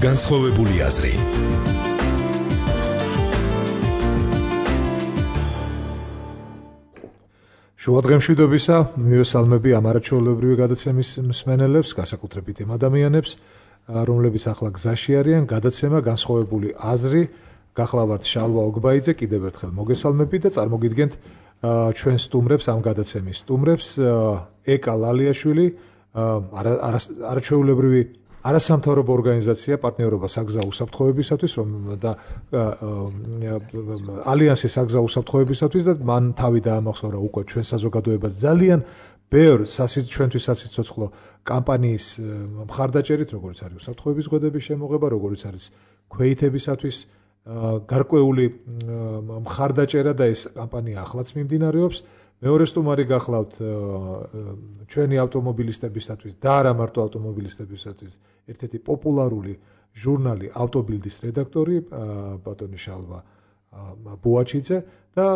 განსხვავებული აზრი. შუადღემშვიდობისა, მივესალმები ამ არაჩვეულებრივი გადაცემის მსმენელებს, განსაკუთრებით იმ ადამიანებს, რომლებიც ახლა გზაში არიან, გადაცემა განსხვავებული აზრი, გახლავართ შალვა ოგბაიძე, კიდევ ერთხელ მოგესალმები და წარმოგიდგენთ ჩვენ სტუმრებს ამ გადაცემის სტუმრებს, ეკა ლალიაშვილი, არაჩვეულებრივი არასამთავრობო ორგანიზაცია პარტნიორობა საგზაო უსაფრთხოებისათვის და ალიანსი საგზაო უსაფრთხოებისათვის და მან თავი დაამახსოვრა უკვე ჩვენ საზოგადოებას ძალიან ბევრ ჩვენთვის სასიცოცხლო კამპანიის მხარდაჭერით, როგორც არის უსაფრთხოების ზღუდების შემოღება, როგორც არის ქვეითებისათვის გარკვეული მხარდაჭერა და ეს კამპანია ახლაც მიმდინარეობს. მეორე სტუმარი გახლავთ ჩვენი ავტომობილისტებისათვის და არა მარტო ავტომობილისტებისათვის ერთ-ერთი პოპულარული ჟურნალი ავტობილდის რედაქტორი ბატონი შალვა ბუაჩიძე და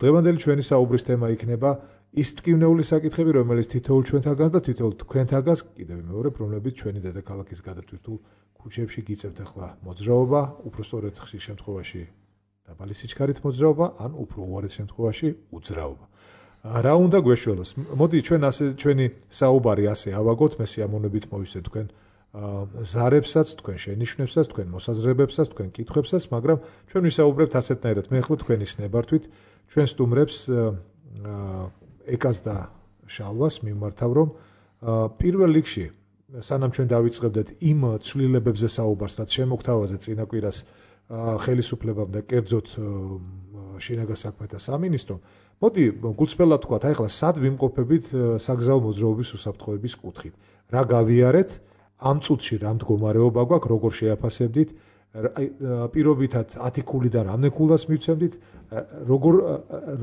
დღევანდელი ჩვენი საუბრის თემა იქნება ის ტკივნეული საკითხები, რომელიც თითოეულ ჩვენთაგანს და თითოეულ თქვენთაგანს კიდევ მეორე, რომლებიც ჩვენი დედაქალაქის გადატვირთულ ქუჩებში გიწევთ ახლა მოძრაობა, უფრო სწორედ ხშირ შემთხვევაში დაბალი სიჩქარით მოძრაობა, ან უფრო უარეს შემთხვევაში უძრაობა. რა უნდა გვეშველოს? მოდი ჩვენი საუბარი ასე ავაგოთ, მე სიამოვნებით მოვისვე თქვენ ზარებსაც, თქვენ შენიშვნებსაც, თქვენ მოსაზრებებსაც, თქვენ კითხვებსაც, მაგრამ ჩვენ ვისაუბრებთ ასეთნაირად. მე ახლა თქვენის ნებართვით ჩვენ სტუმრებს ეკას და შალვას მიმართავ, რომ პირველ რიგში სანამ ჩვენ დავიწყებდეთ იმ ცვლილებებზე საუბარს, რაც შემოგთავაზე წინა კვირას ხელისუფლებამ და კერძოდ შინაგან საქმეთა სამინისტრომ, მოდი გულწრფელად თქვათ, აი ახლა სად ვიმყოფებით საგზაო მოძრაობის უსაფრთხოების კუთხით. რა გავიარეთ, ამ წუთში რა მდგომარეობა გვაქვს, როგორ შეაფასებდით, პირობითად 10 ქულიდან რამდენ ქულას მივცემდით,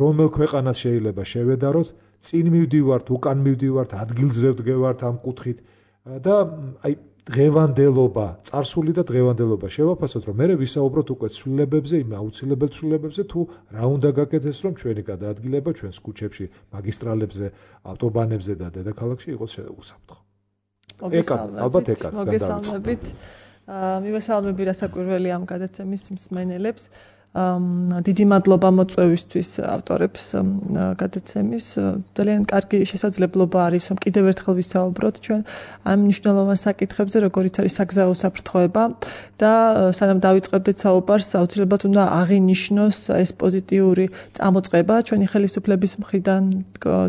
რომელ ქვეყანას შეიძლება შევედაროთ, წინ მივდივართ, უკან მივდივართ, ადგილზე ვდგევართ ამ კუთხით და აი დღევანდელობა, წარსული და დღევანდელობა შევაფასოთ, რომ მე ვისაუბროთ უკვე ცვლილებებზე, იმ აუცილებელ ცვლილებებზე, თუ რა უნდა გაკეთდეს, რომ ჩვენი გადაადგილება ჩვენს ქუჩებში, მაგისტრალებზე, ავტობანებზე და დედაქალაქში იყოს უსაფრთხო. ალბათ ეკაც მოგესალმებით. მივესალმები რასაკვირველი ამ გადაცემის მსმენელებს. დიდი მადლობა მოწვევისთვის ავტორებს გადაცემის. ძალიან კარგი შესაძლებლობა არის, რომ კიდევ ერთხელ ვისაუბროთ ჩვენ ამ მნიშვნელოვან საკითხებზე, როგორიც არის საგზაო უსაფრთხოება და სანამ დავიწყებდეთ საუბარს, აუცილებლად უნდა აღინიშნოს ეს პოზიტიური წამოწყება ჩვენი ხელისუფლების მხრიდან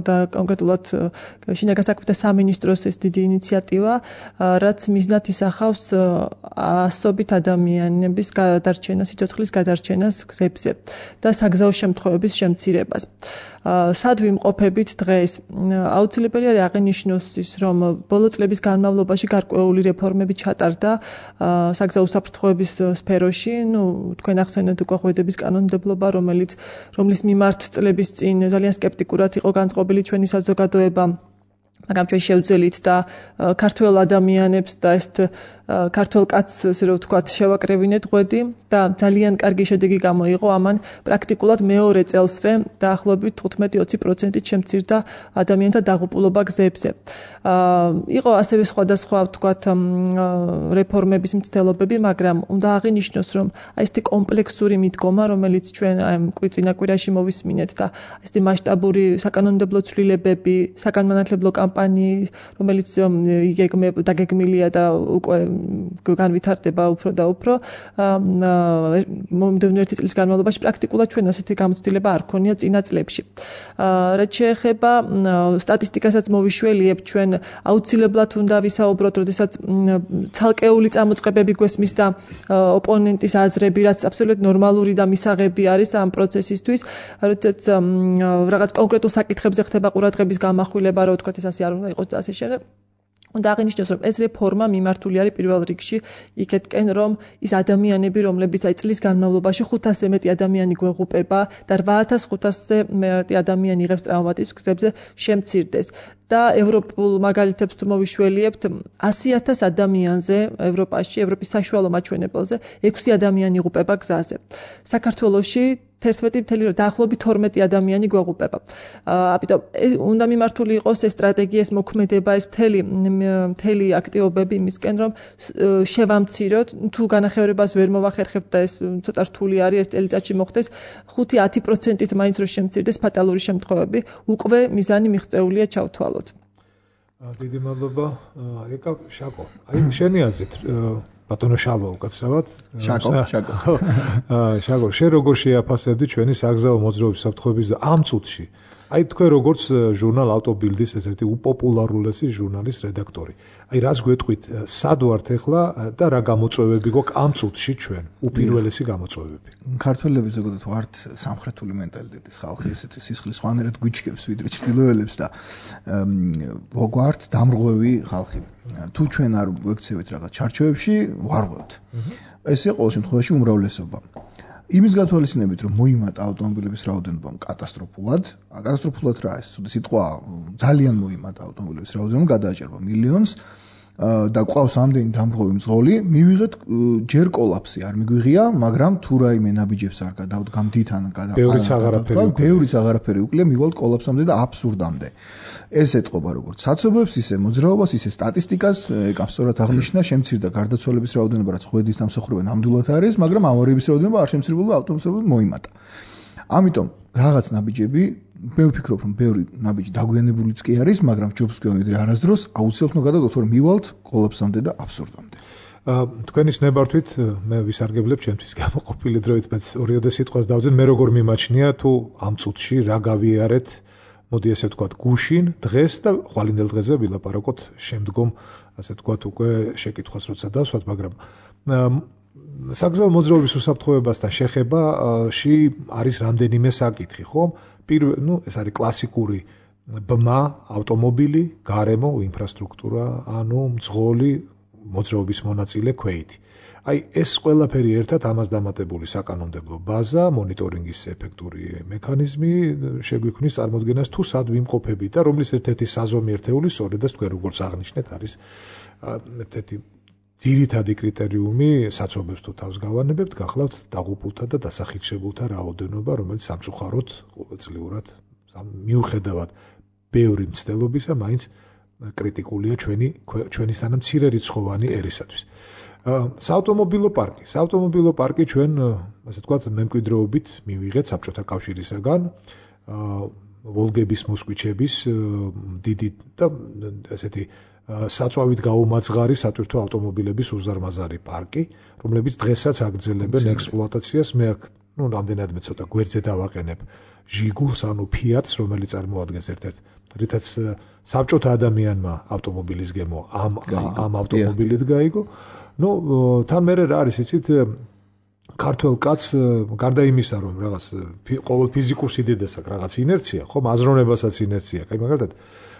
და კონკრეტულად შინაგან საქმეთა სამინისტროს ეს დიდი ინიციატივა, რაც მიზნად ისახავს ასობით ადამიანების გადარჩენას, სიცოცხლის გადარჩენას გზებზე და საგზაო შემთხვევების შემცირებას. სად ვიმყოფებით დღეს? აუცილებელი არის აღინიშნოს ის, რომ ბოლო წლების განმავლობაში გარკვეული რეფორმები ჩატარდა საგზაო უსაფრთხოების სფეროში. თქვენ ახსენეთ უკვე ღვედების კანონმდებლობა, რომლის მიმართ წლების წინ ძალიან სკეპტიკურად იყო განწყობილი ჩვენი საზოგადოება. მაგრამ ჩვენ შევძელით და ქართველ ადამიანებს და ეს ქართველ კაცს, ესე რომ ვთქვათ, შევაკრევინეთ ღვედი და ძალიან კარგი შედეგი გამოიღო. ამან პრაქტიკულად მეორე წელსვე დაახლოებით 15-20%-ით შემცირდა ადამიანთა დაღუპულობა გზებზე. იყო ასევე სხვადასხვა, ვთქვათ, რეფორმების მცდელობები, მაგრამ უნდა აღინიშნოს, რომ ესეთი კომპლექსური მიდგომა, რომელიც ჩვენ წინა კვირაში მოვისმინეთ და ესეთი მასშტაბური საკანონმდებლო ცვლილებები, საგანმანათლებლო კამპანიის, რომელიც დაგეგმილია და უკვე განვითარდება უფრო და უფრო მომდევნო ერთი წლის განმავლობაში პრაქტიკულად ჩვენ ასეთი გამოცდილება არ ქონია წინა წლებში. რაც შეეხება სტატისტიკასაც მოვიშველიებ, ჩვენ აუცილებლად უნდა ვისაუბროთ, როდესაც ცალკეული წამოწყებები გვესმის და ოპონენტის აზრები, რაც აბსოლუტურად ნორმალური და მისაღები არის ამ პროცესისთვის, როდესაც რაღაც კონკრეტულ საკითხებზე ხდება ყურადღების გამახვილება, რა ვთქვათ, ეს ასე არ უნდა იყოს და ასე შემდეგ. უნდა აღინიშნოს, რომ ეს რეფორმა მიმართული არის პირველ რიგში იქეთკენ, რომ ის ადამიანები, რომლებიც წლის განმავლობაში 500-ზე მეტი ადამიანი გვეღუპება და 8500-ზე მეტი ადამიანი იღებს ტრავმატიზმს გზებზე, შემცირდეს. და ევროპულ მაგალითებს თუ მოვიშველიებთ 100,000 ადამიანზე ევროპაში, ევროპის საშუალო მაჩვენებელზე 6 ადამიანი იღუპება გზაზე. საქართველოში 11 დაახლოებით 12 ადამიანი გვეღუპება. ამიტომ უნდა მიმართული იყოს ეს სტრატეგია, ეს მოქმედება, ეს მთელი აქტივობები იმისკენ, რომ შევამციროთ, თუ განახევრებას ვერ მოვახერხებთ და ეს ცოტა რთული არის, ერთ წელიწადში მოხდეს 5-10%-ით მაინც რომ შემცირდეს ფატალური შემთხვევები, უკვე მიზანი მიღწეულია ჩავთვალოთ. დიდი მადლობა. ეკა შაკო. აი შენი აზრით ბატონო შალვა უკაცრავად. შაკო, შენ როგორ შეაფასებდი ჩვენი საგზაო მოძრაობის საფრთხეების ამ წუთში? აი თქვენ როგორც ჟურნალ ავტობილდის ერთ-ერთი უპოპულარულესი ჟურნალის რედაქტორი. აი რას გვეტყვით, სად ვართ ახლა და რა გამოწვევები გვაქვს ამ წუთში ჩვენ? უპირველესი გამოწვევები. ქართველები ზოგადად ვართ სამხრეთული მენტალიტეტის ხალხი, ესეთი სისხლის ხვანერად გვიჩქებს ვიდრე ჩრდილოელებს და ვართ დამრღვევი ხალხი. თუ ჩვენ არ ვექცევით რაღაც ჩარჩოებში, ვარღვევთ. ესე ყოველ შემთხვევაში უმრავლესობა. იმის გათვალისწინებით, რომ მოიმატა ავტომობილების რაოდენობა კატასტროფულად რა ეს სიტყვა ძალიან მოიმატა ავტომობილების რაოდენობა, გადააჭერბა მილიონს და ყავს ამდენი დამრღვევი მძღოლი, მივიღეთ ჯერ კოლაფსი არ მიგვიღია, მაგრამ თუ რაიმე ნაბიჯებს არ გამდითან ბევრიც აღარაფერი უკლია, მივალთ კოლაფსამდე და აბსურდამდე. ეს ეთყობა როგორც საცობებს, ისე მოძრაობას, ისე სტატისტიკას, ეკამ სწორად აღნიშნა, შემცირდა გარდაცვალების რაოდენობა, რაც ხვედის დამსახურება ნამდვილად არის, მაგრამ ავარიების რაოდენობა არ შემცირებულა, ავტომობილები მოიმატა. ამიტომ რაღაც ნაბიჯები მე ვფიქრობ, რომ ბევრი ნაბიჯი დაგვიანებულიც კი არის, მაგრამ ჯობს გვეუბნები არასდროს აუცილებლად უნდა გადავდოთ, რომ მივალთ კოლაფსამდე და აბსურდამდე. თქვენის ნებართვით მე ვისარგებლებ ჩემთვის გამოყოფილი დროით, მეც ორიოდე სიტყვას დავძენ, მე როგორ მიმაჩნია თუ ამ წუთში რა გავიარეთ, მოდი ესე ვთქვათ, გუშინ, დღეს და ხვალინდელ დღეზე ვილაპარაკოთ შემდგომ, ასე ვთქვათ, უკვე შეკითხვას როცა დავსვათ, მაგრამ საგზაო მოძრაობის უსაფრთხოებასთან შეხებაში არის რამდენიმე საკითხი, ხო? ეს არის კლასიკური ბმა, ავტომობილი, გარემო, ინფრასტრუქტურა, ანუ მძღოლი, მოძრაობის მონაწილე, ქვეითი. აი ეს ყველაფერი ერთად ამას დამატებული საკანონმდებლო ბაზა, მონიტორინგის ეფექტური მექანიზმი შეგვიქმნის წარმოდგენას თუ სად ვიმყოფებით და რომლის ერთ-ერთი საზომი ერთეული სწორედაც თქვენ როგორც აღნიშნეთ არის ერთ-ერთი ძირითადი კრიტერიუმი საცობებს თუ თავს გავანებებთ, გახლავთ დაღუპულთა და დასახიჩებულთა რაოდენობა, რომელიც სამწუხაროდ ყოველწლიურად მიუხედავად ბევრი მცდელობისა, მაინც კრიტიკულია ჩვენისთანა მცირე რიცხოვანი ერისათვის. საავტომობილო პარკი ჩვენ, ასე ვთქვათ, მემკვიდრეობით მივიღეთ საბჭოთა კავშირისაგან, ვოლგების მოსკვიჩების დიდი და ესეთი საწვავით გაუმაძღარი სატვირთო ავტომობილების უზარმაზარი პარკი, რომლებიც დღესაც აგრძელებენ ექსპლუატაციას. მე აქ რამდენადმე ცოტა გვერდზე დავაყენებ ჟიგულს, ანუ ფიატს, რომელიც წარმოადგენს ერთ-ერთ, რითაც საბჭოთა ადამიანმა ავტომობილის გემო ამ ავტომობილით გაიგო. თან მერე რა არის, იცით, ქართველ კაცს გარდა იმისა, რომ რაღაც ყოველ ფიზიკურ სიდიდეს აქვს რაღაც ინერცია, ხო, აზროვნებასაც ინერცია, აი მაგალითად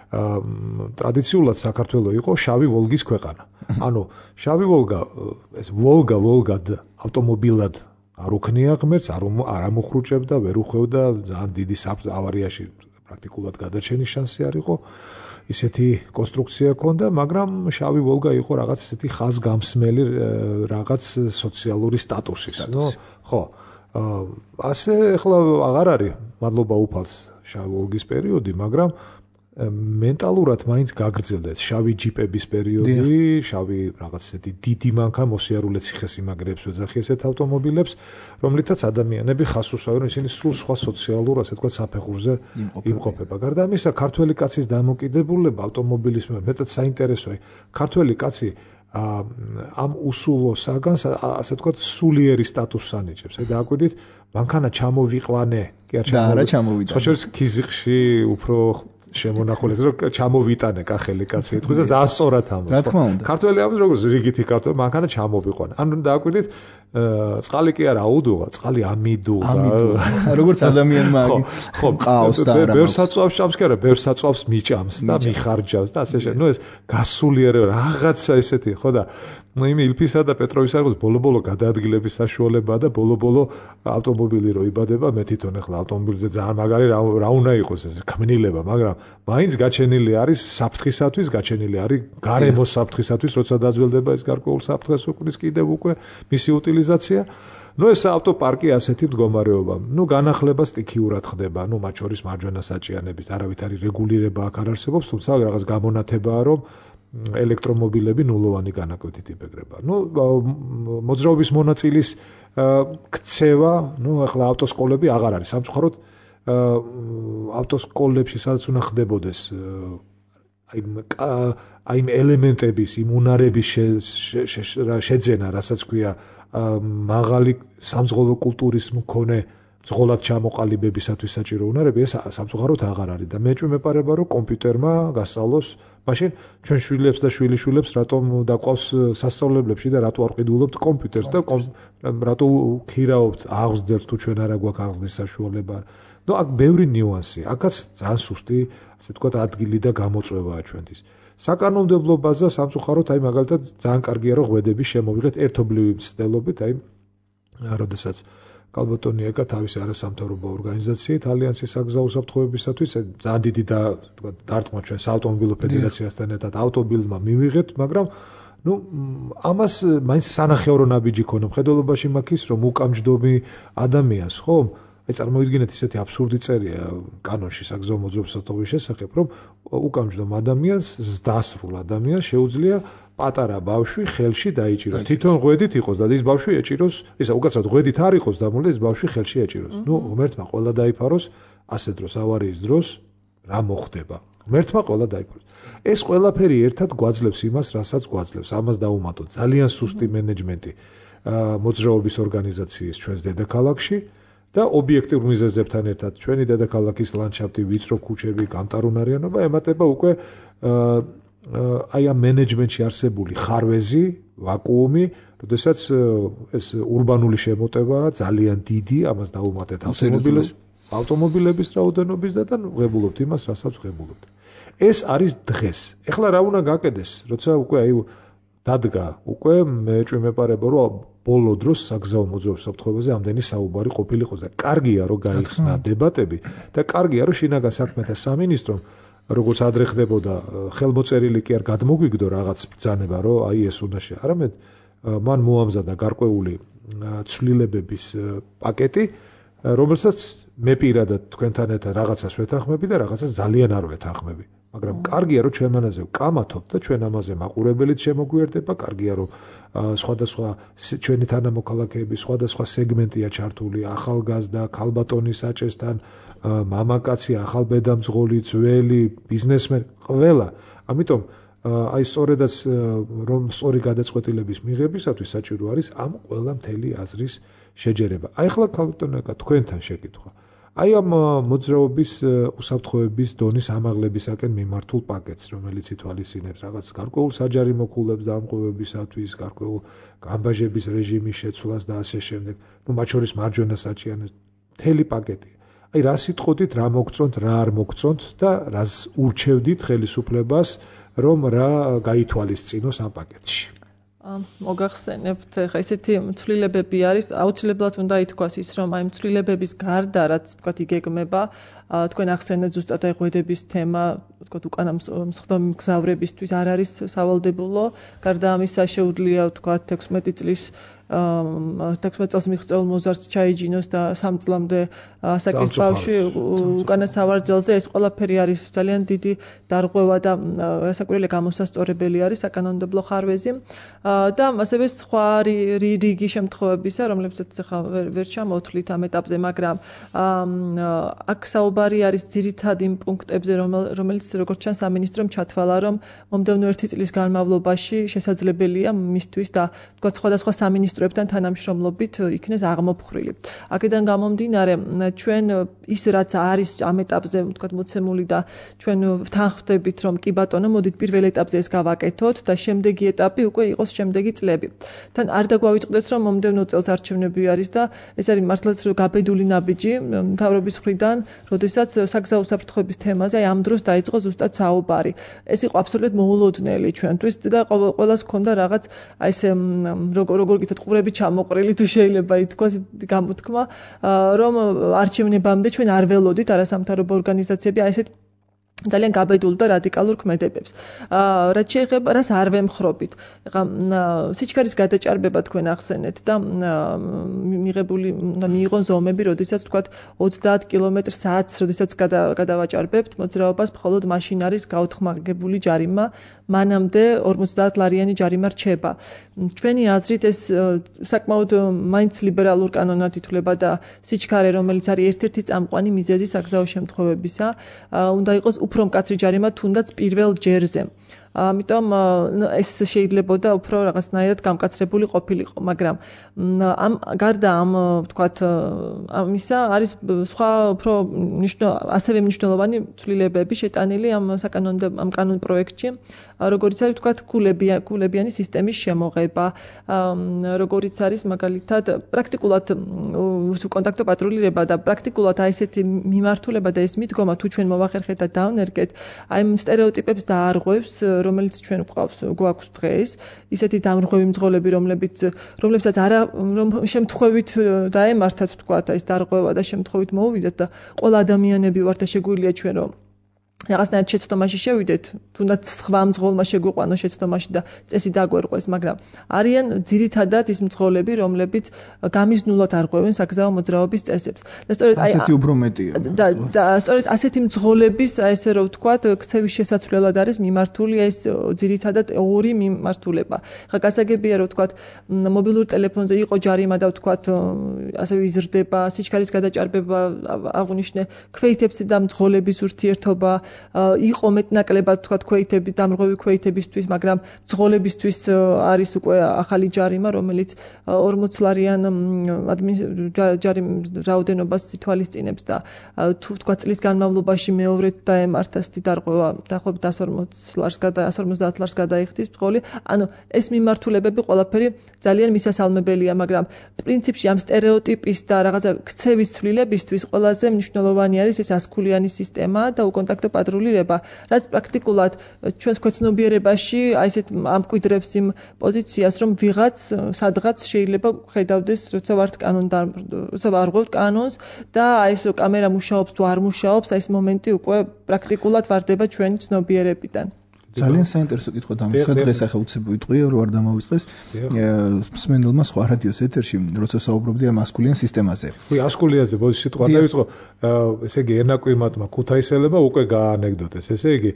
ტრადიციულად საქართველო იყო შავი ვოლგის ქვეყანა. ანუ შავი ვოლგა, ეს ვოლგად ავტომობილად არ უქნია ღმერთს, არ ამოხრუჭებდა, ვერ უხვევდა, ძალიან დიდი ავარიაში პრაქტიკულად გადარჩენის შანსი არ იყო. ისეთი კონსტრუქცია ჰქონდა, მაგრამ შავი ვოლგა იყო რაღაც ესეთი ხაზგამსმელი რაღაც სოციალური სტატუსის. ხო. ასე ახლა აღარ არის მადლობა უფალს შავი ვოლგის პერიოდი, მაგრამ მენტალურად მაინც გაგრძელდა ეს შავი ჯიპების პერიოდი, შავი რაღაც ესეთი დიდი მანქანა მოსიარულე ციხესიმაგრეებს ვეძახი ესეთ ავტომობილებს, რომლითაც ადამიანები ხას უსვამენ, ისინი სულ სხვა სოციალურ, ასე ვთქვათ, საფეხურზე იმყოფება. გარდა ამისა, ქართველი კაცის დამოკიდებულება ავტომობილის მეტად საინტერესოა. ქართველი კაცი ამ უსულო საგანს, ასე ვთქვათ, სულიერი სტატუსს ანიჭებს. აი დააკვირდით, მანქანა ჩამოვიყვანე, კი არ ჩამოვიტანე. სხვა შორის ქიზიყში უფრო შემონახულეს რომ ჩამოვიტანე კახელი კაცი ეთქვის და ძალიან სწორად ამბობს. რა თქმა უნდა. ქართველი ამბობს როგორც რიგითი ქართველი, მანქანა ჩამოვიყვანე. ანუ დააკვირდით, წყალი კი არა აუდუღა, წყალი ამიდუღა. როგორც ადამიანმა ყავს და რა. ბევრ საწვავს ჭამს კი არა, ბევრ საწვავს მიჭამს და მიხარჯავს და ასე შემდეგ. ეს გასულიერება რაღაცა ესეთი, ხო და იმ ილფისა და პეტროვის არხის ბოლო-ბოლო გადაადგილების საშუალებაა და ბოლო-ბოლო ავტომობილი რო იბადება, მე თვითონ ახლა ავტომობილზე ძალიან მაგარი რა უნდა იყოს ეს ქმნილება, მაგრამ მაინც გაჩენილი არის საფრთხისათვის, გაჩენილი არის გარემოს საფრთხისათვის, როცა დაძველდება ეს გარკვეულ საფრთხეს უკრის კიდევ უკვე მისი უტილიზაცია. ეს ავტოპარკი ასეთი მდგომარეობა. განახლება სტიქიურად ხდება, მათ შორის მარჯვენა საჭიანების არავითარი რეგულირება აქ არ არსებობს, თუმცა რაღაც გამონათებაა, რომ ელექტრომობილები ნულოვანი განაკვეთით იბეგრება. მოძრაობის მონაწილის ქცევა, ახლა ავტოსკოლები აღარ არის. სამწუხაროდ ავტოსკოლებში სადაც უნდა ხდებოდეს აი ელემენტების, იმ უნარების შეძენა, რასაც ქვია მაღალი სამძღოლო კულტურის მქონე ძღოლად ჩამოყალიბებისათვის საჭირო უნარები, ეს სამწუხაროდ აღარ არის და მე მეპარება, რომ კომპიუტერმა გასწავლოს მაშინ ჩვენ შვილებს და შვილიშვილებს რატომ დაყავს სასწავლებლებში და რატო არ ყიდულობთ კომპიუტერს და რატო ქირაობთ აღზრდელს თუ ჩვენ არა გვაქვს აღზრდის საშუალება. აქ ბევრი ნიუანსი, აქაც ძალიან სუსტი, ასე ვთქვათ, ადგილი და გამოწვევაა ჩვენთვის. საკანონმდებლო ბაზა სამწუხაროდ აი მაგალითად ძალიან კარგია რომ ღვედები შემოვიღეთ ერთობლივი მცდელობით, აი როდესაც კალბოტონი ეკა თავისი არასამთავრობო ორგანიზაციით ალიანსის საგზაო უსაფრთხოებისათვის ძალიან დიდი დარტყმა ჩვენს ავტომობილო ფედერაციასთან ერთად ავტომობილმა მივიღეთ, მაგრამ ამას მაინც სანახეორო ნაბიჯი ქონა მხედველობაში მაქის რომ უკამჯდომი ადამიანს ხომ აი წარმოიდგინეთ ისეთი აბსურდი წერია კანონში საგზაო მოძრაობის უსაფრთხოების შესახებ, რომ უკამჯდომ ადამიანს, ზრდასრულ ადამიანს შეუძლია პატარა ბავშვი ხელში დაიჭიროს. თვითონ ღვედით იყოს და ის ბავშვი ეჭიროს, ისა უკაცრავად ღვედით არ იყოს დამული, ეს ბავშვი ხელში ეჭიროს. ღმერთმა ყველა დაიფაროს, ასე დროს ავარიის დროს რა მოხდება. ღმერთმა ყველა დაიფაროს. ეს ყველაფერი ერთად გვაძლევს იმას, რასაც გვაძლევს. ამას დაუმატოთ ძალიან სუსტი მენეჯმენტი მოძრაობის ორგანიზაციის ჩვენს დედაქალაქში. და ობიექტიურ მიზეზებთან ერთად ჩვენი დედაქალაქის ლანდშაფტი, ვიწრო ქუჩები, გამტარუნარიანობა ემატება უკვე აი ამ მენეჯმენტში არსებული ხარვეზი, ვაკუუმი, როდესაც ეს ურბანული შემოტევაა ძალიან დიდი, ამას დაუმატეთ ავტომობილების რაოდენობის და ვღებულობთ იმას, რასაც ვღებულობთ. ეს არის დღეს. ეხლა რა უნდა გაკეთდეს, როცა უკვე აი დადგა, უკვე მე მეპარება რომ ბოლო დროს საგზაო მოძრაობის უსაფრთხოებაზე ამდენი საუბარი ყოფილიყო და კარგია რომ გაიხსნა დებატები და კარგია რომ შინაგან საქმეთა სამინისტრომ როგორც ადრე ხდებოდა ხელმოწერილი კი არ გადმოგვიგდო რაღაც ბრძანება რომ აი ეს უნდა არამედ მან მოამზადა გარკვეული ცვლილებების პაკეტი რომელსაც მე პირადად თქვენთან ერთად რაღაცას ვეთანხმები და რაღაცას ძალიან არ ვეთანხმები. მაგრამ კარგია რომ ჩვენ მანაზე ვკამათობთ და ჩვენ ამაზე მაყურებელიც შემოგვიერთდება, კარგია რომ სხვადასხვა ჩვენი თანამოქალაქეების სხვადასხვა სეგმენტია ჩართული, ახალგაზრდა, ქალბატონი საჭესთან, მამაკაცი, ახალბედამძღოლი, ძველი, ბიზნესმენი, ყველა. ამიტომ აი სწორედაც რომ სწორი გადაწყვეტილების მიღებისათვის საჭირო არის ამ ყველა მთელი აზრის შეჯერება. აი ახლა ქალბატონო თქვენთან შეკითხვა. აი ამ მოძრაობის უსაფრთხოების დონის ამაღლებისაკენ მიმართულ პაკეტს, რომელიც ითვალისწინებს რაღაც გარკვეულ საჯარი მოქულებს დამყობებისათვის, გარკვეულ გამბაჟების რეჟიმის შეცვლას და ასე შემდეგ, მათ შორის მარჯვენა საჭიანოს, მთელი პაკეტი. აი რა სიტყვით, რა მოგწონთ, რა არ მოგწონთ და რას ურჩევდით ხელისუფლებას, რომ რა გაითვალისწინოს ამ პაკეტში. მოგახსენებთ, ხა ესეთი ცვლილებები არის, აუცილებლად უნდა ითქვას ის, რომ აი ცვლილებების გარდა, რაც ვთქვათ, იგეგმება, თქვენ ახსენეთ ზუსტად აი ღვედების თემა, ვთქვათ, უკანა მსხდომი მგზავრებისთვის არ არის სავალდებულო, გარდა ამისა შეუძლია ვთქვათ 16 წლის 16 წელს მიღწეულ მოზარდს ჩაიჯინოს და 3 წლამდე ასაკის ბავშვი უკანა სავარძელზე, ეს ყველაფერი არის ძალიან დიდი დარღვევა და რასაკვირველია გამოსასწორებელი არის საკანონმდებლო ხარვეზი და ასევე სხვა რიგი შემთხვევებისა, რომლებსაც ახლა ვერ ჩამოვთვლით ამ ეტაპზე, მაგრამ აქ საუბარი არის ძირითად იმ პუნქტებზე, რომელიც როგორც ჩანს სამინისტრომ ჩათვალა, რომ მომდევნო 1 წლის განმავლობაში შესაძლებელია მისთვის და ვთქვათ სხვადასხვა სამინისტრო ინვესტორებთან თანამშრომლობით იქნეს აღმოფხრილი. აქედან გამომდინარე, ჩვენ ის რაც არის ამ ეტაპზე, ვთქვათ, მოცემული და ჩვენ ვთანხმდებით, რომ კი ბატონო, მოდით პირველ ეტაპზე ეს გავაკეთოთ და შემდეგი ეტაპი უკვე იყოს შემდეგი წლები. თან არ დაგვავიწყდეს, რომ მომდევნო წელს არჩევნები არის და ეს არის მართლაც გაბედული ნაბიჯი მთავრობის მხრიდან, როდესაც საგზაო საფრთხეების თემაზე ამ დროს დაიწყო ზუსტად საუბარი. ეს იყო აბსოლუტურად მოულოდნელი ჩვენთვის და ყველას ჰქონდა რაღაც აი ეს როგორ გითხრათ ყურები ჩამოყრილი თუ შეიძლება ითქვას გამოთქმა, რომ არჩევნებამდე ჩვენ არ ველოდით არასამთავრობო ორგანიზაციები აი ესეთ ძალიან გაბედულ და რადიკალურ ქმედებებს. რაც შეეხება რას არ ვემხრობით. ეხლა სიჩქარის გადაჭარბება თქვენ ახსენეთ და მიიღონ ზომები, როდესაც თქვათ 30 კმ/სთ, როდესაც გადავაჭარბებთ მოძრაობას, მხოლოდ მაშინ არის გაუთხმაგებული ჯარიმა, მანამდე 50 ლარიანი ჯარიმა რჩება. ჩვენი აზრით ეს საკმაოდ მაინც ლიბერალურ კანონად ითვლება და სიჩქარე, რომელიც არის ერთ-ერთი წამყვანი მიზეზი საგზაო შემთხვევებისა, უნდა იყოს უფრო მკაცრი ჯარიმა თუნდაც პირველ ჯერზე. ამიტომ ეს შეიძლებოდა უფრო რაღაცნაირად გამკაცრებული ყოფილიყო, მაგრამ გარდა ამ ვთქვათ ამისა არის სხვა უფრო ასევე მნიშვნელოვანი ცვლილებები შეტანილი ამ კანონ პროექტში, როგორიც არის ვთქვათ კულებიანი სისტემის შემოღება, როგორიც არის მაგალითად პრაქტიკულად კონტაქტო პატრულირება და პრაქტიკულად აი ესეთი მიმართულება და ეს მიდგომა თუ ჩვენ მოვახერხეთ და დავნერგეთ, აი ამ სტერეოტიპებს დაარღვევს, რომელიც ჩვენ გვაქვს დღეს, ისეთი დამრღვევი მძღოლები, რომლებსაც არა რომ შემთხვევით დაემართათ ვთქვათ, აი ეს დარღვევა და შემთხვევით მოუვიდათ და ყველა ადამიანები ვართ და შეგვიძლია ჩვენ რომ რაღაცნაირად შეცდომაში შევიდეთ, თუნდაც სხვა მძღოლმა შეგვიყვანო შეცდომაში და წესი დაგვერყვეს, მაგრამ არიან ძირითადად ის მძღოლები, რომლებიც გამიზნულად არღვევენ საგზაო მოძრაობის წესებს. და სწორედ აი ასეთი უფრო მეტია. და სწორედ ასეთი მძღოლების, აი ესე რომ ვთქვათ, ქცევის შესაცვლელად არის მიმართული ეს ძირითადად ორი მიმართულება. ხა გასაგებია რომ ვთქვათ, მობილურ ტელეფონზე იყო ჯარიმა და ვთქვათ, ასევე იზრდება სიჩქარის გადაჭარბება, აღვნიშნე ქვეითებს და მძღოლების ურთიერთობა, იყო მეტნაკლებად თქვა ქვეითები დამრღვევი ქვეითებისთვის, მაგრამ მძღოლებისთვის არის უკვე ახალი ჯარიმა, რომელიც 40 ლარიან რაოდენობას ითვალისწინებს და თუ თქვა წლის განმავლობაში მეორედ დაემართას დარღვევა დაახლოებით 140 ლარს გადაიხდის მძღოლი. ანუ ეს მიმართულებები ყველაფერი ძალიან მისასალმებელია, მაგრამ პრინციპში ამ სტერეოტიპის და რაღაცა ქცევის ცვლილებისთვის ყველაზე მნიშვნელოვანი არის ეს ასქულიანი სისტემა და უკონტაქტო პატრულირება, რაც პრაქტიკულად ჩვენს ქვეცნობიერებაში აი ესეთ ამკვიდრებს იმ პოზიციას, რომ ვიღაც სადღაც შეიძლება ხედავდეს, როცა ვართ როცა ვარღვევთ კანონს და აი ეს კამერა მუშაობს თუ არ მუშაობს, აი ეს მომენტი უკვე პრაქტიკულად ვარდება ჩვენი ცნობიერებიდან. ძალიან საინტერესო კითხვა დამისვა დღეს ახლა უცებ ვიტყვი რომ არ დამავიწყდეს მსმენელმა სხვა რადიოს ეთერში როცა საუბრობდი ამ ასკულიან სისტემაზე. ვი ასკულიაზე ბოდიში სიტყვა დავიწყო, ესე იგი ერნაკვიმატმა ქუთაისელებმა უკვე გაანეკდოტეს, ესე იგი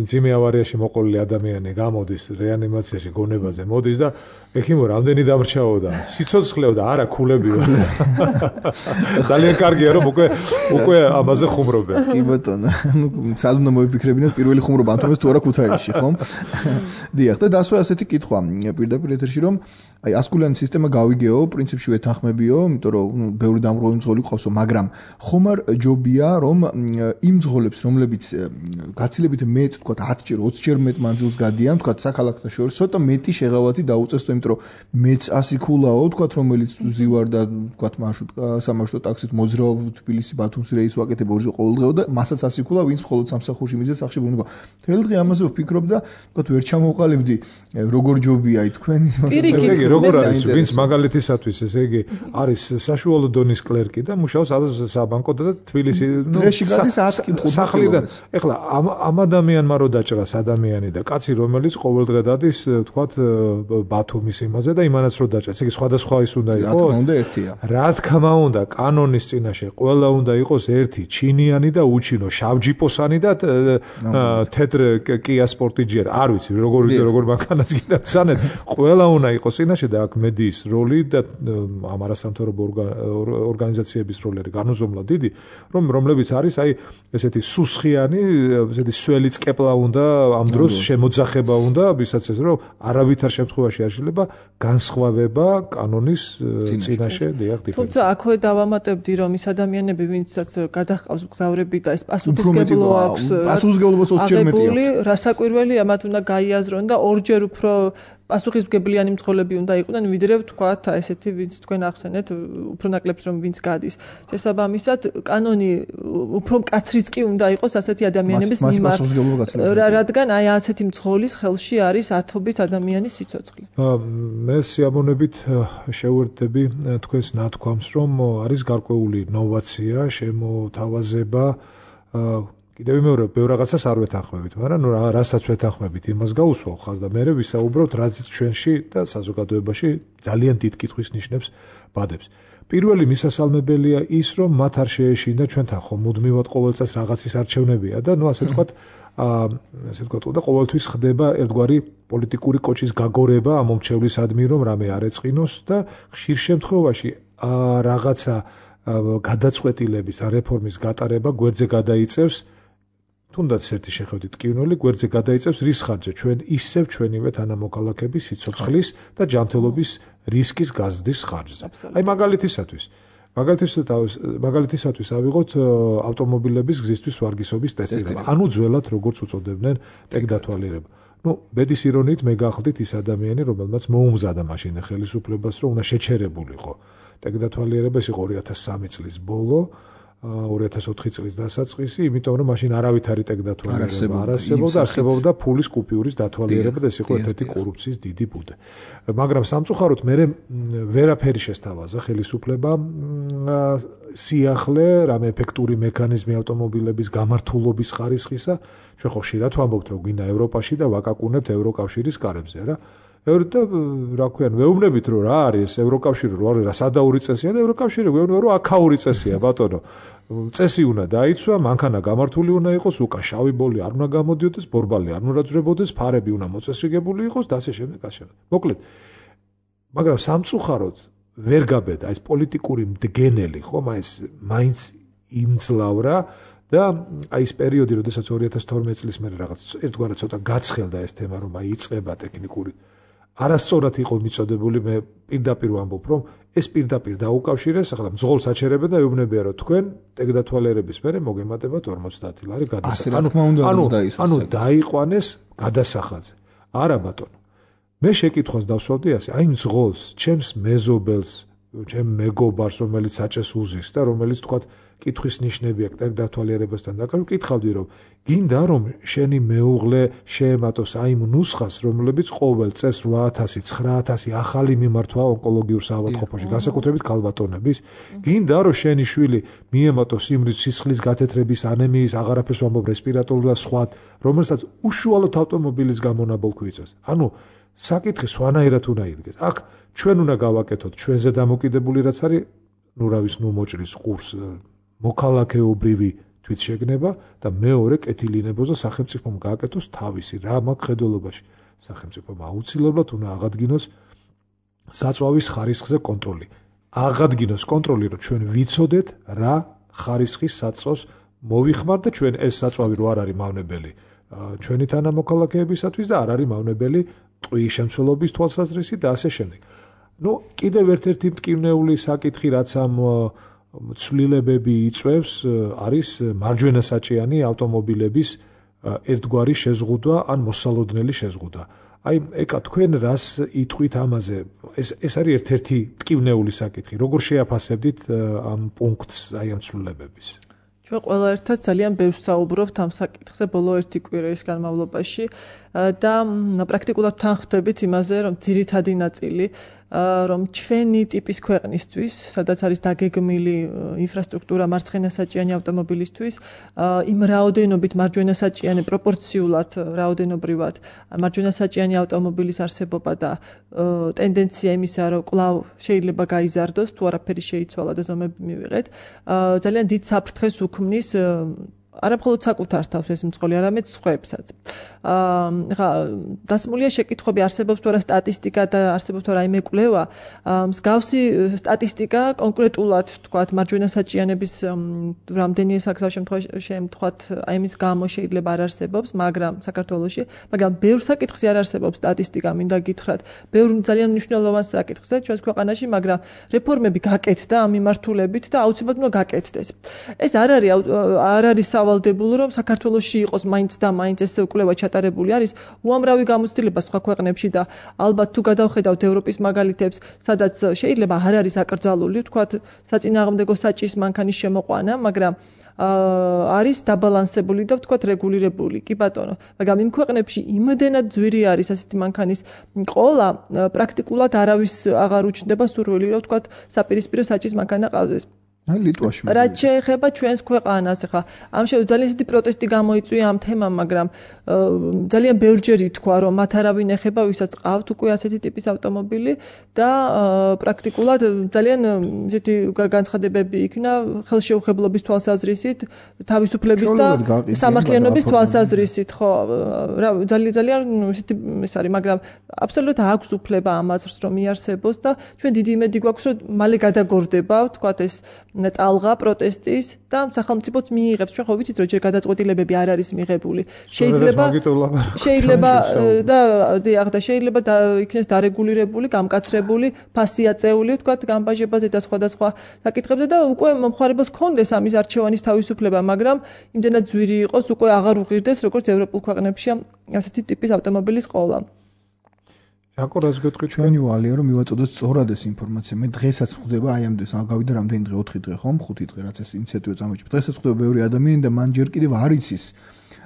ძიმე ავარიაში მოყოლილი ადამიანი გამოდის რეანიმაციაში გონებაზე მოდის და ეხიმო რამდენი დამრჩაოდა, სიცოცხლეო და არა ქულები ვარ. ძალიან კარგია რომ უკვე ამაზე ხუმრობენ. კი ბატონო, სად უნდა მოიფიქრებინოთ პირველი ხუმრობა ანთომეს თუ არა ქუთაისში, ხომ? დიახ, და დასვა ასეთი კითხვა პირდაპირ ეთერში რომ აი ასკულიანი სისტემა გავიგეო, პრინციპში ვეთანხმებიო, იმიტომ რომ ბევრი დამრღვევი მძღოლი ყავსო, მაგრამ ხომ არ ჯობია რომ იმ მძღოლებს, რომლებიც გაცილებით მეტ, თქვა 10-ჯერ, 20-ჯერ მეტ მანძილს გადიან, თქვა საქალაქთა შორის, ცოტა მეტი შეღავათი დაუწესო, იმიტომ რომ მეც 100 ქულაო, თქვა რომელიც ზივარ და თქვა მარშრუტკა, სამარშრუტო ტაქსით მოძრაობ თბილისი ბათუმის რეის ვაკეთებ ორჯერ ყოველდღეო და მასაც 100 ქულა, ვინც მხოლოდ სამსახურში მიზეს სახში ბრუნდება. თელ დღე ამაზე ვფიქრობ და თქვა ვერ ჩამოვყალიბდი, როგორ ჯობია თქვენი როგორ არის, ვინც მაგალითისათვის, ესე იგი, არის საშუალო დონის კლერკი და მუშაობს საბანკოდა და თბილისი, დღეში გადის 100 კითხვა სახლიდან. ეხლა ამ ადამიანმა რო დაჭრას ადამიანი და კაცი, რომელიც ყოველდღე დადის, თქვათ, ბათუმის იმაზე და იმანაც რო დაჭრას, ესე იგი, სხვადასხვა ის უნდა იყოს. რა თქმა უნდა, ერთია. რა თქმა უნდა, კანონის წინაშე ყველა უნდა იყოს ერთი, ჩინიანი და უჩინო, შავჯიპოსანი და თეთრ კია სპორტიჯერ, არ ვიცი, როგორ მანქანას გინებსანეთ, ყველა უნდა იყოს წინაშე წინაშე და აქ მედიის როლი და ამ არასამთავრობო ორგანიზაციების როლი არის განუზომლად დიდი, რომლებიც არის აი ესეთი სუსხიანი, ესეთი სველი წკეპლა უნდა ამ დროს შემოძახება უნდა, ვისაც ეს რომ არავითარ შემთხვევაში არ შეიძლება განსხვავება კანონის წინაშე დიახ დიფერენცია. თუმცა აქვე დავამატებდი რომ ის ადამიანები ვინცაც გადაჰყავს მგზავრები და ეს პასუხისმგებლობა აქვს პასუხისმგებლობა ორჯერ მეტია. რასაკვირველია მათ უნდა გაიაზრონ და ორჯერ უფრო პასუხისმგებლიანი მძღოლები უნდა იყვნენ ვიდრე ვთქვათ ესეთი ვინც თქვენ ახსენეთ უფრო ნაკლებს რომ ვინც გადის. შესაბამისად კანონი უფრო მკაცრიც კი უნდა იყოს ასეთი ადამიანების მიმართ. რადგან აი ასეთი მძღოლის ხელში არის ათობით ადამიანის სიცოცხლე. მე სიამოვნებით შევერთდები თქვენს ნათქვამს რომ არის გარკვეული ნოვაცია, შემოთავაზება კიდევ მეორე ბევრ რაღაცას არ ვეთანხმებით, მაგრამ რასაც ვეთანხმებით, იმას გაუსვავ ხაზ და მე ვისაუბროთ რაც ჩვენში და საზოგადოებაში ძალიან დიდ კითხვის ნიშნებს ბადებს. პირველი მისასალმებელია ის, რომ მათ არ შეეშინდა ჩვენთან ხომ მუდმივად ყოველ წელს რაღაცის არჩევნებია და ნუ ასე ვთქვათ და ყოველთვის ხდება ერთგვარი პოლიტიკური კოჭის გაგორება ამ მომრჩევლისადმი, რომ რამე არ ეწყინოს და ხშირ შემთხვევაში რაღაცა გადაწყვეტილების რეფორმის გატარება გვერდზე გადაიწევს თუნდაც ერთი შეხედვით ტკივნელი გვერდზე გადაიწევს რის ხარჯზე ჩვენ ისევ ჩვენივე თანამოქალაქების სიცოცხლის და ჯანმრთელობის რისკის გაზრდის ხარჯზე. აი მაგალითისათვის ავიღოთ ავტომობილების გზისთვის ვარგისობის ტესტირება. ანუ ძველად როგორც უწოდებდნენ ტექდათვალიერება. ბედის ირონიით მე გახლდით ის ადამიანი, რომელმაც მოუმზადა მაშინ ხელისუფლებას, რომ უნდა შეჩერებულიყო ტექდათვალიერება, ეს იყო 2003 წლის ბოლო. 2004 წლის დასაწყისი, იმიტომ რომ მაშინ არავითარი ტექდათვალიერება არ არსებობდა, არსებობდა ფულის კუპიურის დათვალიერება და ეს იყო ერთ-ერთი კორუფციის დიდი ბუდე. მაგრამ სამწუხაროდ მე ვერაფერი შესთავაზა ხელისუფლებამ სიახლე, რამე ეფექტური მექანიზმი ავტომობილების გამართულობის ხარისხისა, ჩვენ ხო ხშირად ვამბობთ, რომ გვინდა ევროპაში და ვაკაკუნებთ ევროკავშირის კარებზე, რა. და რა ქვია, ვეუბნებით რომ რა არის ევროკავშირი, რა არის რა სადაური წესია და ევროკავშირი ვეუბნება რომ აქაური წესია, ბატონო. წესი უნდა დაიცვა, მანქანა გამართული უნდა იყოს, უკან შავი ბოლი არ უნდა გამოდიოდეს, ბორბალი არ უნდა ძრებოდეს, ფარები უნდა მოწესრიგებული იყოს და ასე შემდეგ, ასე შემდეგ. მოკლედ, მაგრამ სამწუხაროდ ვერ გაბედა ეს პოლიტიკური მდგენელი, ხომ, ეს მაინც იმძლავრა და აი ეს პერიოდი, როდესაც 2012 წლის მერე რაღაც ერთგვარად ცოტა გაცხელდა ეს თემა, რომ აი იწყება ტექნიკური არასწორად იყო მიწოდებული, მე პირდაპირ ვამბობ, რომ ეს პირდაპირ დაუკავშირეს, ახლა მძღოლს აჩერებენ და ეუბნებიან, რომ თქვენ ტექდათვალიერების მერე მოგემატებათ 50 ლარი გადასახადზე. ანუ დაიყვანეს გადასახადზე. არა ბატონო. მე შეკითხვას დავსვავდი ასე, აი მძღოლს, ჩემს მეზობელს, ჩემ მეგობარს, რომელიც საჭეს უზის და რომელიც თქვათ კითხვის ნიშნები აქვს ტექდათვალიერებასთან დაკავშირებით, ვკითხავდი რომ გინდა რომ შენი მეუღლე შეემატოს აი იმ ნუსხას, რომლებიც ყოველ წელს 8000, 9000 ახალი მიმართვა ონკოლოგიურ საავადმყოფოში, განსაკუთრებით ქალბატონების, გინდა რომ შენი შვილი მიემატოს იმრით სისხლის გათეთრების, ანემიის, აღარაფერს ვამბობ რესპირატორული და სხვა, რომელსაც უშუალოდ ავტომობილის გამონაბოლქვი იწვევს. ანუ საკითხი სვანაირად უნდა იდგეს. აქ ჩვენ უნდა გავაკეთოთ ჩვენზე დამოკიდებული რაც არის, ნუ რა ვის, ნუ მოჭრის ყურს მოქალაქეობრივი თვითშეგნება და მეორე კეთილინებოს და სახელმწიფომ გააკეთოს თავისი რა მაქვს ხედველობაში. სახელმწიფომ აუცილებლად უნდა აღადგინოს საწვავის ხარისხზე კონტროლი. აღადგინოს კონტროლი, რომ ჩვენ ვიცოდეთ რა ხარისხის საწვავს მოვიხმართ და ჩვენ ეს საწვავი რო არ არის მავნებელი ჩვენი თანამოქალაქეებისათვის და არ არის მავნებელი ტყუის შემცველობის თვალსაზრისით და ასე შემდეგ. ნუ კიდევ ერთ-ერთი მტკივნეული საკითხი რაც ამ ცვლილებები იწვევს არის მარჯვენა საჭიანი ავტომობილების ერთგვარი შეზღუდვა ან მოსალოდნელი შეზღუდვა. აი ეკა თქვენ რას იტყვით ამაზე? ეს არის ერთ-ერთი მტკივნეული საკითხი. როგორ შეაფასებდით ამ პუნქტს აი ამ ცვლილებების? ჩვენ ყველა ერთად ძალიან ბევრს საუბრობთ ამ საკითხზე ბოლო ერთი კვირის განმავლობაში და პრაქტიკულად თანხმდებით იმაზე, რომ ძირითადი ნაწილი რომ ჩვენი ტიპის ქვეყნისთვის, სადაც არის დაგეგმილი ინფრასტრუქტურა მარცხენასაჭიანი ავტომობილისთვის, იმ რაოდენობით მარჯვენასაჭიანი პროპორციულად რაოდენობრივად მარჯვენასაჭიანი ავტომობილის არსებობა და ტენდენცია იმისა, რომ კვლავ შეიძლება გაიზარდოს, თუ არაფერი შეიცვალა და ზომები მივიღეთ, ძალიან დიდ საფრთხეს უქმნის არა მხოლოდ საკუთარ თავს ეს მწყოლი, არამედ სხვებსაც. ხა დასმულია შეკითხვები არსებობს თუ არა სტატისტიკა და არსებობს თუ არა რაიმე კვლევა. მსგავსი სტატისტიკა კონკრეტულად თქვათ მარჯვენა საჭიანების რამდენი შემთხვევით აი მის გამო შეიძლება არ არსებობს, მაგრამ საქართველოში, მაგრამ ბევრ საკითხზე არ არსებობს სტატისტიკა, მინდა გითხრათ. ბევრ ძალიან მნიშვნელოვან საკითხზე ჩვენს ქვეყანაში, მაგრამ რეფორმები გაკეთდა ამ მიმართულებით და აუცილებლად უნდა გაკეთდეს. ეს არ არის სავალდებულო, რომ საქართველოში იყოს მაინც და მაინც ეს კვლევა ჩატარებული არის. უამრავი გამოცდილება სხვა ქვეყნებში და ალბათ თუ გადავხედავთ ევროპის მაგალითებს, სადაც შეიძლება არ არის აკრძალული, თქვათ, საწინააღმდეგო საჭის მანქანის შემოყვანა, მაგრამ არის დაბალანსებული და ვთქვათ რეგულირებული. კი ბატონო, მაგრამ იმ ქვეყნებში იმდენად ძვირი არის ასეთი მანქანის ყოლა, პრაქტიკულად არავის აღარ უჩნდება სურვილი, რომ ვთქვათ საპირისპირო საჭის მანქანა ყავდეს. აი ლიტვაში. რაც შეეხება ჩვენს ქვეყანას, ახლა ამ ძალიან ისეთი პროტესტი გამოიწვია ამ თემამ, მაგრამ ძალიან ბევრჯერ ითქვა, რომ მათ არავინ ეხება, ვისაც ყავთ უკვე ასეთი ტიპის ავტომობილი და პრაქტიკულად ძალიან ისეთი განცხადებები იქნა ხელშეუხებლობის თვალსაზრისით, თავისუფლების და სამართლიანობის თვალსაზრისით, ხო, რა ძალიან ისეთი ეს არის, მაგრამ აბსოლუტურად აქვს უფლება ამას რომ იარსებოს და ჩვენ დიდი იმედი გვაქვს, რომ მალე გადაგორდება, ვთქვათ ეს ტალღა პროტესტის და სახელმწიფოც მიიღებს. ჩვენ ხო ვიცით, რომ ჯერ გადაწყვეტილებები არ არის მიღებული. შეიძლება იქნეს დარეგულირებული, გამკაცრებული, ფასი აწეული, ვთქვათ, გამბაჟებაზე და სხვადასხვა საკითხებზე და უკვე მომხმარებელს ქონდეს ამის არჩევანის თავისუფლება, მაგრამ იმდენად ძვირი იყოს, უკვე აღარ უღირდეს, როგორც ევროპულ ქვეყნებში ასეთი ტიპის ავტომობილის ყოლა. აკურას გეტყვი ჩვენი ვალია რომ მივაწოდოთ სწორად ეს ინფორმაცია. მე დღესაც ხვდება აი ამდენ გავიდა რამდენი დღე 4 დღე ხომ 5 დღე რაც ეს ინიციატივა წამოიჭრა. დღესაც ხვდება ბევრი ადამიანი და მან ჯერ კიდევ არ იცის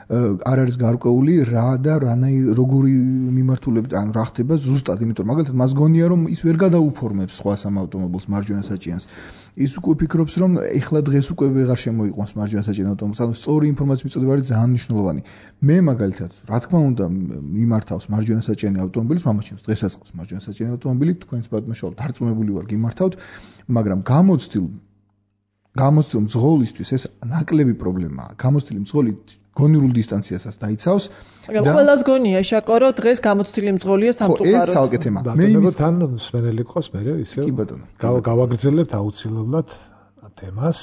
არ არის გარკვეული რა და როგორი მიმართულებით ანუ რა ხდება ზუსტად, იმიტომ მაგალითად მას გონია რომ ის ვერ გადაუფორმებს სხვა სამ ავტომობილს მარჯვენა საჭიანს. ის უკვე ფიქრობს რომ ეხლა დღეს უკვე ვეღარ შემოიყვანს მარჯვენა საჭირო ავტომობილს. ანუ სწორი ინფორმაციის მიწოდება არის ძალიან მნიშვნელოვანი. მე მაგალითად რა თქმა უნდა მიმართავს მარჯვენა საჭიანი ავტომობილის, მამაჩემს დღესაც ყავს მარჯვენა საჭიანი ავტომობილი, თქვენს ბატონშალ დარწმუნებული ვარ გიმართავთ, მაგრამ გამოცდილ მძღოლისთვის ეს ნაკლები პრობლემაა. გამოცდილი მძღოლი გონიურულ დისტანციასაც დაიცავს. მაგრამ ყველას გონია შაკო, რომ დღეს გამოცდილი მძღოლია სამწუხაროდ. ეს ცალკე თემა. მე თან სვენელი ყავს მე ისე. კი ბატონო. გავაგრძელებთ აუცილებლად თემას.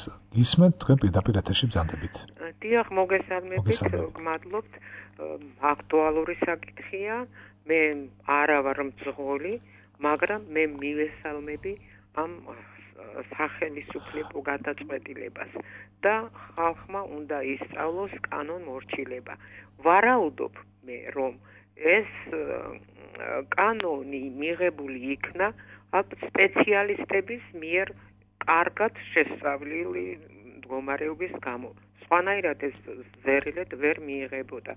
ისმენთ თქვენ პირდაპირ ეთერში ბრძანდებით. დიახ, მოგესალმებით, გმადლობთ. აქტუალური საკითხია. მე არა ვარ მძღოლი, მაგრამ მე მივესალმები ამ სახელმწიფო გადაწყვეტილებას და ხალხმა უნდა ისწავლოს კანონმორჩილება. ვარაუდობ მე რომ ეს კანონი მიღებული იქნა სპეციალისტების მიერ კარგად შესწავლილი მდგომარეობის გამო. სხვანაირად ეს ზერილად ვერ მიიღებოდა,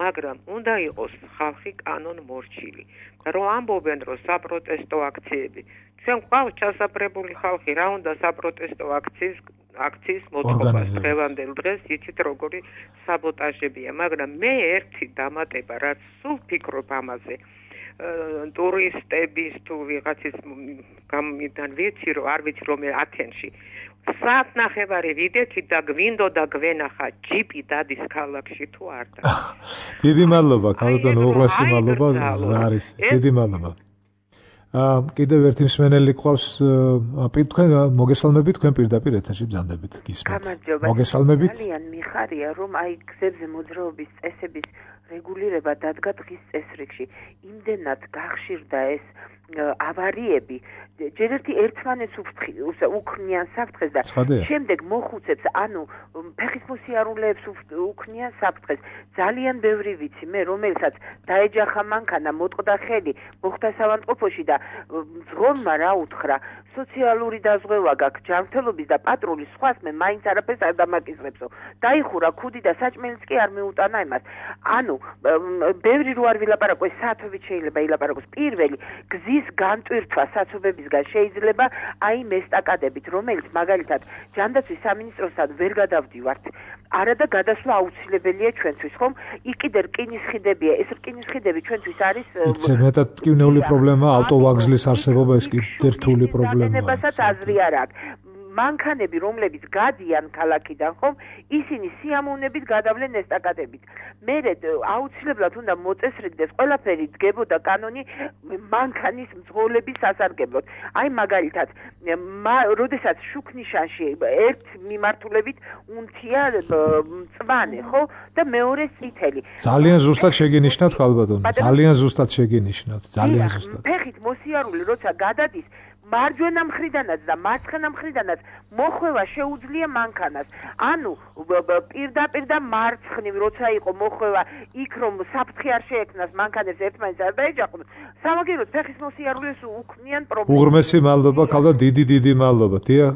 მაგრამ უნდა იყოს ხალხი კანონმორჩილი. რომ ამბობენ რომ საპროტესტო აქციები ჩვენ ყავს ჩასაფრებული ხალხი რა უნდა საპროტესტო აქციის მოწყობას დღევანდელ დღეს იცით როგორი საბოტაჟებია, მაგრამ მე ერთი დამატება რაც სულ ფიქრობ ამაზე ტურისტების თუ ვიღაცის გამიდან ვიცი რომ არ ვიცი რომ ათენში საათ ნახევარი ვიდექი და გვინდოდა გვენახა ჯიპი დადის ქალაქში თუ არ და დიდი მადლობა ქალბატონო უღრესი მადლობა ზარის დიდი მადლობა კიდევ ერთი მსმენელი ყავს თქვენ მოგესალმებით თქვენ პირდაპირ ეთერში ბრძანდებით გისმენთ მოგესალმებით ძალიან მიხარია რომ აი გზებზე მოძრაობის წესების რეგულირება დადგა დღის წესრიგში იმდენად გახშირდა ეს ავარიები ჯერ ერთი ერთმანეთს უქნიან საფრთხეს და შემდეგ მოხუცებს ანუ ფეხის მოსიარულეებს უქნიან საფრთხეს ძალიან ბევრი ვიცი მე რომელსაც დაეჯახა მანქანა მოტყდა ხელი მოხდა სავანტყოფოში და მძღოლმა რა უთხრა სოციალური დაზღვევა გაქვს ჯანმრთელობის და პატრულის სხვას მე მაინც არაფერს არ დამაკისრებსო დაიხურა ქუდი და საჭმელიც კი არ მეუტანა იმას ანუ ბევრი რო არ ვილაპარაკო საათობით შეიძლება ილაპარაკოს პირველი გზის განტვირთვა საცობებისგან შეიძლება აი მესტაკადებით რომელიც მაგალითად ჯანდაცვის სამინისტროსთან ვერ გადავდივართ არადა გადასვლა აუცილებელია ჩვენთვის ხომ იქ კიდე რკინის ხიდებია ეს რკინის ხიდები ჩვენთვის არის მეტად ტკივნეული პრობლემა ავტოვაგზლის არსებობა ეს კიდე რთული პრობლემაა აზრი არ აქვს მანქანები, რომლებიც გადიან ქალაქიდან, ხომ, ისინი სიამოვნებით გადავლენ ესტაკადებით. მერე აუცილებლად უნდა მოწესრიგდეს ყველაფერი დგებოდა კანონი მანქანის მძღოლების სასარგებლოდ. აი მაგალითად, როდესაც შუქნიშანში ერთ მიმართულებით უნთია მწვანე, ხო? და მეორე წითელი. ძალიან ზუსტად შეგინიშნავთ ხალბატონო. ძალიან ზუსტად შეგინიშნავთ. ძალიან ზუსტად. ფეხით მოსიარული როცა გადადის მარჯვენა მხრიდანაც და მარცხენა მხრიდანაც მოხვევა შეუძლია მანქანას. ანუ პირდაპირ და მარცხნივ როცა იყო მოხვევა იქ რომ საფრთხე არ შეექმნას მანქანებს ერთმანეთს არ დაეჯახონ. სამაგიეროდ ფეხის მოსიარულეს უქმნიან პრობლემას. უღრმესი მადლობა, ხალბატონო, დიდი მადლობა. დია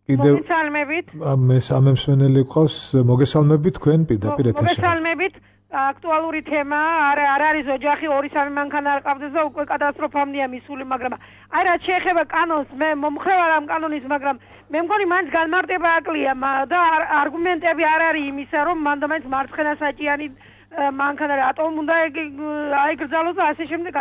კიდევ მოგესალმებით. მე სამემსვენელი გყავს, მოგესალმებით თქვენ პირდაპირ ეთერში. მოგესალმებით. აქტუალური თემა არ არის ოჯახი 2-3 მანქანა არ ყავდეს და უკვე კატასტროფამდეა მისული, მაგრამ აი რაც შეეხება კანონს, მე მომხრევ არ ამ კანონის, მაგრამ მე მგონი მაინც განმარტება აკლია და არგუმენტები არ არის იმისა, რომ მანდ მარცხენა საჭიანი მანქანა რატომ უნდა აიგრძალოს და ასე შემდეგ.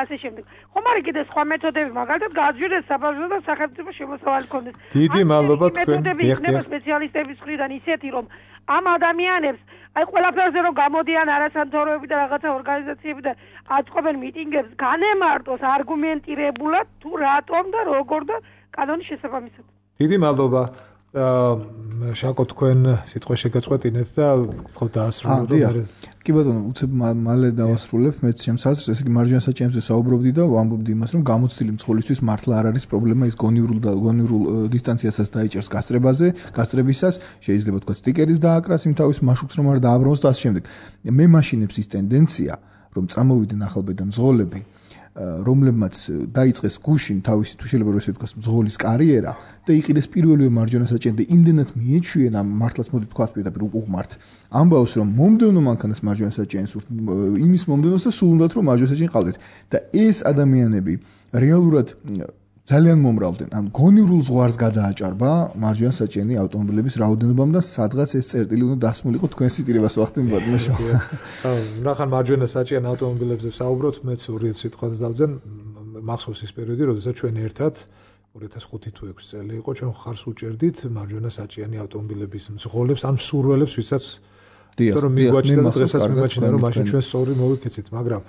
ხომ არის კიდე სხვა მეთოდები, მაგალითად გააძვირდეს საბავშვო და სახელმწიფო შემოსავალი ქონდეს. დიდი მადლობა თქვენ. მეთოდები იქნება სპეციალისტების მხრიდან ისეთი, რომ ამ ადამიანებს აი ყველაფერზე რომ გამოდიან არასამთავრობოები და რაღაცა ორგანიზაციები და აწყობენ მიტინგებს, განემარტოს არგუმენტირებულად თუ რატომ და როგორ და კანონის შესაბამისად. დიდი მადლობა. შაკო თქვენ სიტყვა შეგაწყვეტინეთ და ხო დაასრულოთ. კი ბატონო, უცებ მალე დავასრულებ მეც ჩემს აზრს, ესე იგი მარჯვენა საჭიანზე საუბრობდი და ვამბობდი იმას, რომ გამოცდილი მძღოლისთვის მართლა არ არის პრობლემა, ის გონივრულ დისტანციასაც დაიჭერს გასწრებისას, შეიძლება თქვა სტიკერის დააკრას იმ თავის მაშუქს რომ არ დააბრუნოს და ასე შემდეგ. მე მაშინებს ის ტენდენცია, რომ წამოვიდნენ ახალბედა მძღოლები, რომლებმაც დაიწყეს გუშინ თავისი თუ შეიძლება რომ ესე ვთქვას მძღოლის კარიერა და იყიდეს პირველივე მარჯვენა საჭიანზე იმდენად მიეჩვიენ ამ მართლაც მოდი თქვათ პირდაპირ უყურთ ამბავს რომ მომდევნო მანქანას მარჯვენა საჭიანს იმის მომდევნოს და სულ უნდათ რომ მარჯვენა საჭიანი ყავდეთ და ეს ადამიანები რეალურად ძალიან მომრავლდნენ. ან გონივრულ ზღვარს გადააჭარბა მარჯვენა საჭიანი ავტომობილების რაოდენობამ და სადღაც ეს წერტილი უნდა დასმულიყო თქვენს სიტირებას ვახტენ ბატონო. ნახან მარჯვენა საჭიანი ავტომობილებზე საუბრობთ, მეც 2 სიტყვას დავძენ, მახსოვს ის პერიოდი, როდესაც ჩვენ ერთად 2005 თუ 6 წელი იყო, ჩვენ ხარს უჭერდით მარჯვენა საჭიანი ავტომობილების მძღოლებს, ამ სურველებს, ვისაც რომ მიგვაჩნდა და დღესაც მიგვაჩნდა, რომ მაშინ ჩვენ სწორი მოვიქეცით, მაგრამ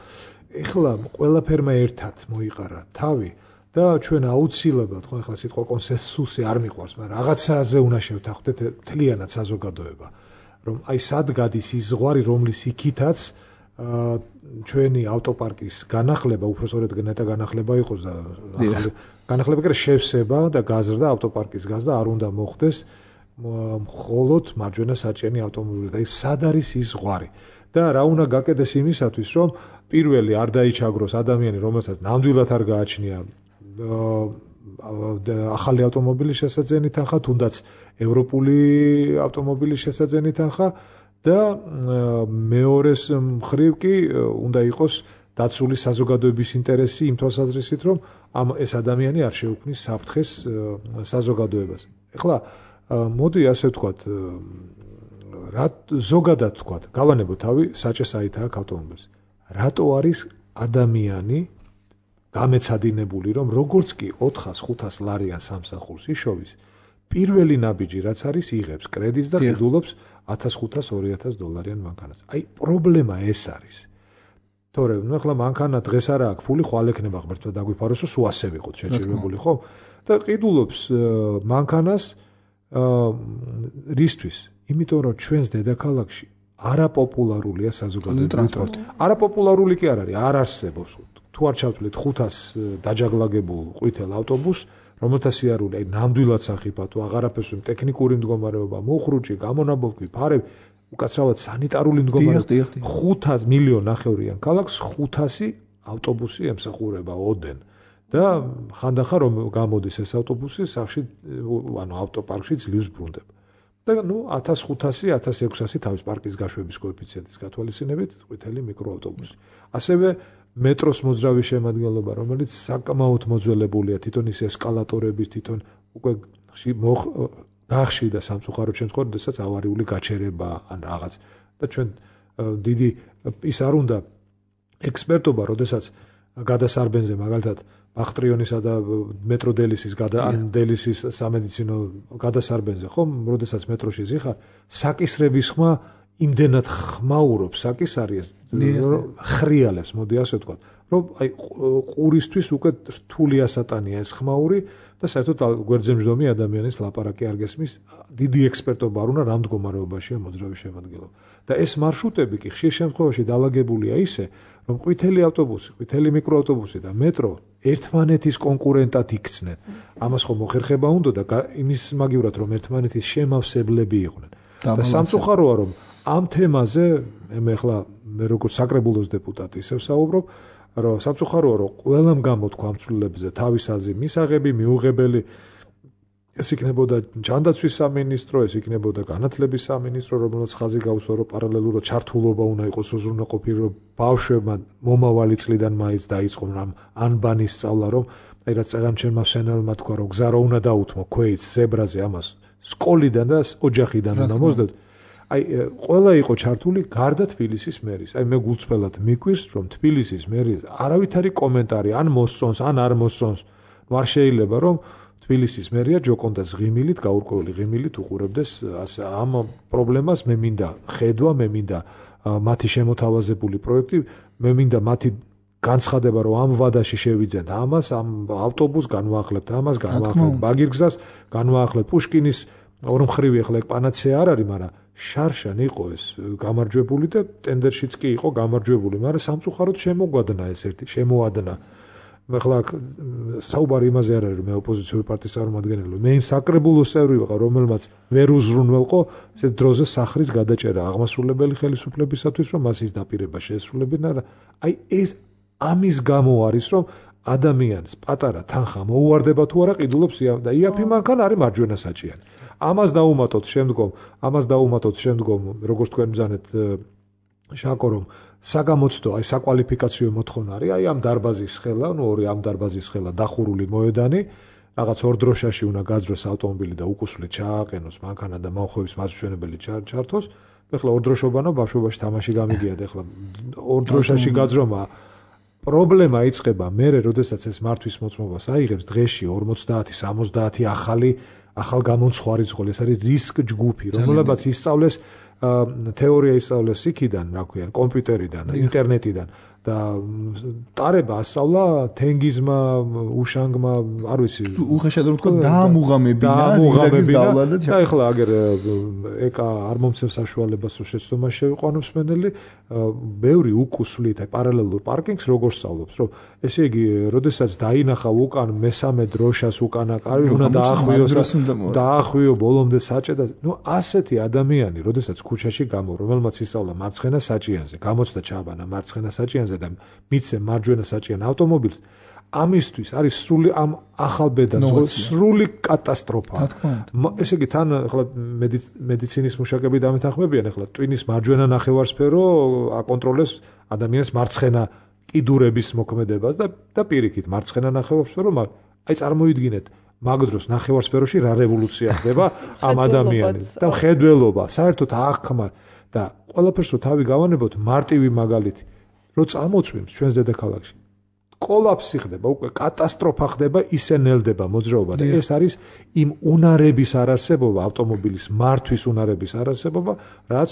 ეხლა ყველაფერმა ერთად მოიყარა თავი და ჩვენ აუცილებლად ხო ახლა სიტყვა კონსენსუსი არ მიყვარს, მაგრამ რაღაცაზე უნდა შევთანხმდეთ მთლიანად საზოგადოება, რომ აი სად გადის ის ზღვარი, რომლის იქითაც ჩვენი ავტოპარკის განახლება, უბრალოდ ნეტა განახლება იყოს და ახალი განახლება კი შევსება და გაზრდა ავტოპარკის გაზრდა არ უნდა მოხდეს მხოლოდ მარჯვენა საჭიანი ავტომობილები. აი სად არის ის ზღვარი და რა უნდა გაკეთდეს იმისათვის, რომ პირველი არ დაიჩაგროს ადამიანი, რომელსაც ნამდვილად არ გააჩნია ახალი ავტომობილის შესაძენი თანხა, თუნდაც ევროპული ავტომობილის შესაძენი თანხა და მეორეს მხრივ კი უნდა იყოს დაცული საზოგადოების ინტერესი იმ თვალსაზრისით, რომ ეს ადამიანი არ შეუქმნის საფრთხეს საზოგადოებას. ეხლა მოდი ასე ვთქვათ, ზოგადად ვთქვათ, გავანებო თავი საჭესაით აქ ავტომობილს. რატო არის ადამიანი გამეცადინებული, რომ როგორც კი 400-500 ლარიან სამსახურს იშოვის, პირველი ნაბიჯი რაც არის იღებს კრედიტს და ყიდულობს 1500-2000 დოლარიან მანქანას. აი პრობლემა ეს არის. თორე ახლა მანქანა დღეს არა აქვს ფული, ხვალ ექნება ღმერთმა დაგვიფაროს, რომ სულ ასე ვიყოთ შეჭირებული, ხო? და ყიდულობს მანქანას რისთვის? იმიტომ რომ ჩვენს დედაქალაქში არაპოპულარულია საზოგადოებრივი ტრანსპორტი. არაპოპულარული კი არ არის, არ არსებობს. თუ არ ჩავთვლით 500 დაჯაგლაგებულ ყვითელ ავტობუსს, რომელთა სიარული აი ნამდვილად სახიფათო, აღარაფერს ტექნიკური მდგომარეობა, მოხრუჭი, გამონაბოლქვი, ფარები, უკაცრავად სანიტარული მდგომარეობა. 500 მილიონ ნახევრიან ქალაქს 500 ავტობუსი ემსახურება ოდენ. და ხანდახან რომ გამოდის ეს ავტობუსი, სახში ანუ ავტოპარკში ძლივს ბრუნდება. და 1500-1600 თავის პარკის გაშვების კოეფიციენტის გათვალისწინებით ყვითელი მიკროავტობუსი. ასევე მეტროს მოძრავი შემადგენლობა, რომელიც საკმაოდ მოძველებულია, თვითონ ის ესკალატორები, თვითონ უკვე გახშირდა სამწუხაროდ შემთხვევაში, როდესაც ავარიული გაჩერება ან რაღაც. და ჩვენ დიდი ის არ უნდა ექსპერტობა, როდესაც გადასარბენზე მაგალითად ბახტრიონისა და მეტრო დელისის დელისის სამედიცინო გადასარბენზე ხომ როდესაც მეტროში ზიხარ საკისრების ხმა იმდენად ხმაურობს საკისარიეს ხრიალებს მოდი ასე ვთქვათ რომ აი ყურისთვის უკვე რთული ასატანია ეს ხმაური და საერთოდ გვერდზემჯდომი ადამიანის ლაპარაკი არ გესმის დიდი ექსპერტობა არ უნდა რამ მდგომარეობაშია მოძრავი შემადგენლობა და ეს მარშრუტები კი ხშირ შემთხვევაში დაალაგებულია ისე რომ ყვითელი ავტობუსი, ყვითელი მიკროავტობუსი და მეტრო ერთმანეთის კონკურენტად იქცნენ. ამას ხომ მოხერხება უნდა და იმის მაგივრად რომ ერთმანეთის შემავსებლები იყვნენ. და სამწუხაროა რომ ამ თემაზე მე ახლა მე როგორც საკრებულოს დეპუტატი ისევ საუბრობ, რომ სამწუხაროა რომ ყველამ გამოთქვა ამ ცვლილებზე თავის აზრი მისაღები, მიუღებელი ეს იქნებოდა ჯანდაცვის სამინისტრო, ეს იქნებოდა განათლების სამინისტრო, რომელსაც ხაზი გაუსვა, რომ პარალელურად ჩართულობა უნდა იყოს უზრუნველყოფილი, რომ ბავშვებმა მომავალი წლიდან მაინც დაიწყონ ამ ანბანის სწავლა, რომ აი რაც წეგამჩენმა სენელმა თქვა, რომ გზა რა უნდა დაუთმო ქვეითს ზებრაზე ამას სკოლიდან და ოჯახიდან უნდა მოსდეთ. აი ყველა იყო ჩართული გარდა თბილისის მერის. აი მე გულწრფელად მიკვირს, რომ თბილისის მერის არავითარი კომენტარი ან მოსწონს, ან არ მოსწონს. ნუ არ შეიძლება რომ თბილისის მერია ჯოკონდას ღიმილით, გაურკვეველი ღიმილით უყურებდეს ამ პრობლემას, მე მინდა ხედვა, მე მინდა მათი შემოთავაზებული პროექტი, მე მინდა მათი განცხადება, რომ ამ ვადაში შევიძენთ ამას, ამ ავტობუსს განვაახლებთ ამას, განვაახლებთ ბაგირგზას, განვაახლებთ პუშკინის ორმხრივი ახლა ეგ პანაცეა არ არის, მაგრამ შარშან იყო ეს გამარჯვებული და ტენდერშიც კი იყო გამარჯვებული, მაგრამ სამწუხაროდ შემოგვადნა ეს ერთი, შემოადნა. ახლა საუბარი იმაზე არ არის რომ მე ოპოზიციური პარტიის წარმომადგენელი მე იმ საკრებულოს წევრი ვიყავ რომელმაც ვერ უზრუნველყო ეს დროზე სახრის გადაჭერა აღმასრულებელი ხელისუფლებისათვის რომ მას ის დაპირება შეესრულებინა რა აი ეს ამის გამო არის რომ ადამიანს პატარა თანხა მოუვარდება თუ არა ყიდულობს და იაფი მანქანა არის მარჯვენა საჭიანი ამას დაუმატოთ შემდგომ როგორც თქვენ ბრძანეთ შაკო რომ საგამოცდო აი საკვალიფიკაციო მოთხოვნა არის აი ამ დარბაზის ხელა ნუ ორი ამ დარბაზის ხელა დახურული მოედანი რაღაც ორ დროშაში უნდა გაძროს ავტომობილი და უკუსვლით ჩააყენოს მანქანა და მომხმევის მასშენებელი ჩართოს ეხლა ორ დროშობანო ბავშვობაში თამაში გამიგია და ეხლა ორ დროშაში გაძრომა პრობლემა იწყება მერე როდესაც ეს მართვის მოწმობას აიღებს დღეში 50-70 ახალ გამომცხვარი ზღოლი ეს არის რისკ ჯგუფი რომელებაც ისწავლეს თეორია ისწავლეს იქიდან, რა ქვია, კომპიუტერიდან, ინტერნეტიდან და ტარება ასწავლა თენგიზმა, უშანგმა, არ ვიცი, უხეშად რომ თქვა დაამუღამებინა და ეხლა აგერ ეკა არ მომცემს საშუალებას რომ შეცდომა შევიყვანოს მენელი, ბევრი უკუსვლით აი პარალელურ პარკინგს როგორ სწავლობს, რომ ესე იგი, როდესაც დაინახა უკან მესამე დროშას უკანა კარი უნდა დაახვიო ბოლომდე საჭე და ნუ ასეთი ადამიანი, როდესაც ქუჩაში გამო, რომელმაც ისწავლა მარცხენა საჭიანზე, გამოცდა ჩაბანა მარცხენა საჭიანზე და მიცე მარჯვენა საჭიან ავტომობილს ამისთვის არის სრული ამ ახალბედანს სრული კატასტროფა. ესე იგი თან ახლა მედიცინის მუშაკები დამეთანხმებიან ახლა ტვინის მარჯვენა ნახევარსფერო აკონტროლებს ადამიანის მარცხენა კიდურების მოქმედებას და პირიქით მარცხენა ნახევარსფერო აი წარმოიდგინეთ მაგ დროს ნახევარსფეროში რა რევოლუცია ხდება ამ ადამიანის და მხედველობა საერთოდ აღქმა და ყველაფერს რო თავი გავანებოთ მარტივი მაგალითი რო წამოწვიმს ჩვენს დედაქალაქში კოლაფსი ხდება უკვე კატასტროფა ხდება ისე ნელდება მოძრაობა და ეს არის იმ უნარების არარსებობა ავტომობილის მართვის უნარების არარსებობა რაც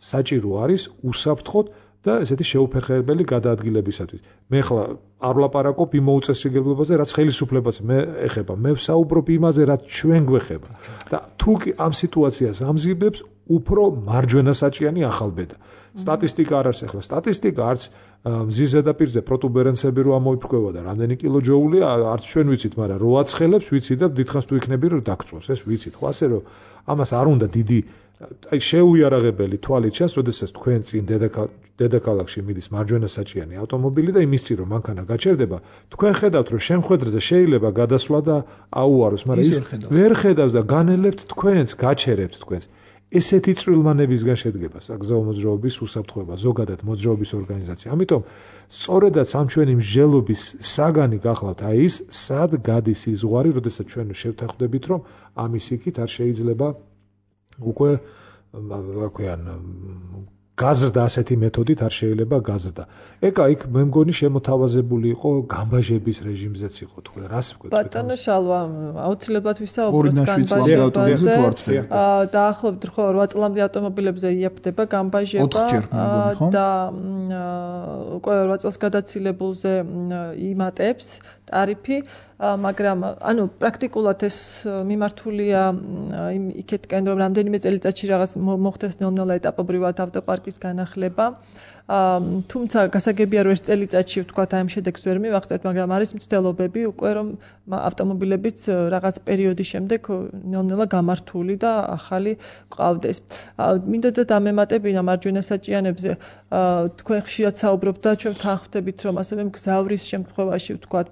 საჭირო არის უსაფრთხოდ და ესეთი შეუფერხებელი გადაადგილებისათვის მე ხლა არ ვლაპარაკობ იმ მოუწესრიგებლობაზე რაც ხელისუფლებას მე ეხება მე ვსაუბრობ იმაზე რაც ჩვენ გვეხება და თუ კი ამ სიტუაციას ამზიბებს უფრო მარჯვენა საჭიანი ახალბედა სტატისტიკა არ არის ახლა სტატისტიკა არც მზის ზედაპირზე პროტუბერენცები რო ამოიფრქვევა და რამდენი კილოჯოული არც ჩვენ ვიცით მაგრამ რო აცხელებს ვიცით და დიდხანს თუ იქნები რომ დაგწვოს ეს ვიცით ხო ასე რომ ამას არ უნდა დიდი აი შეუიარაღებელი თვალით ჩანს, როდესაც თქვენ წინ დედაქალაქში მიდის მარჯვენა საჭიანი ავტომობილი და იმის წინ რომ მანქანა გაჩერდება, თქვენ ხედავთ რომ შემხედრზე შეიძლება გადასვლა და აუაროს, მაგრამ ის ვერ ხედავს და განელებთ თქვენს, გაჩერებთ თქვენს. ესეთი წვრილმანებისგან შედგება საგზაო მოძრაობის უსაფრთხოება, ზოგადად მოძრაობის ორგანიზაცია. ამიტომ სწორედაც ამ ჩვენი მსჯელობის საგანი გახლავთ აი ის, სად გადის ის ზღვარი, როდესაც ჩვენ შევთანხმდებით რომ ამის იქით არ შეიძლება უკვე რა ქვიან გაზრდა ასეთი მეთოდით არ შეიძლება გაზრდა. ეკა იქ მე მგონი შემოთავაზებული იყო გამბაჟების რეჟიმზეც იყო თქვენ რას ვკვეთ? ბატონო შალვა, აუცილებლად ვისაუბროთ გამბაჟებაზე. დაახლოებით 8 წლამდე ავტომობილებზე იაფდება გამბაჟება და უკვე 8 წელს გადაცილებულზე იმატებს ტარიფი, მაგრამ ანუ პრაქტიკულად ეს მიმართულია იქეთკენ რომ რამდენიმე წელიწადში რაღაც მოხდეს ნელ-ნელა ეტაპობრივად ავტოპარკის განახლება. თუმცა გასაგებია რომ ერთ წელიწადში ვთქვათ აი ამ შედეგს ვერ მივახცევთ, მაგრამ არის მცდელობები უკვე რომ ავტომობილებიც რაღაც პერიოდის შემდეგ ნელ-ნელა გამართული და ახალი ყავდეს. მინდოდა დამემატებინა მარჯვენა საჭიანებზე, თქვენ ხშირად საუბრობთ და ჩვენ თანხმდებით რომ ასევე მგზავრის შემთხვევაში ვთქვათ,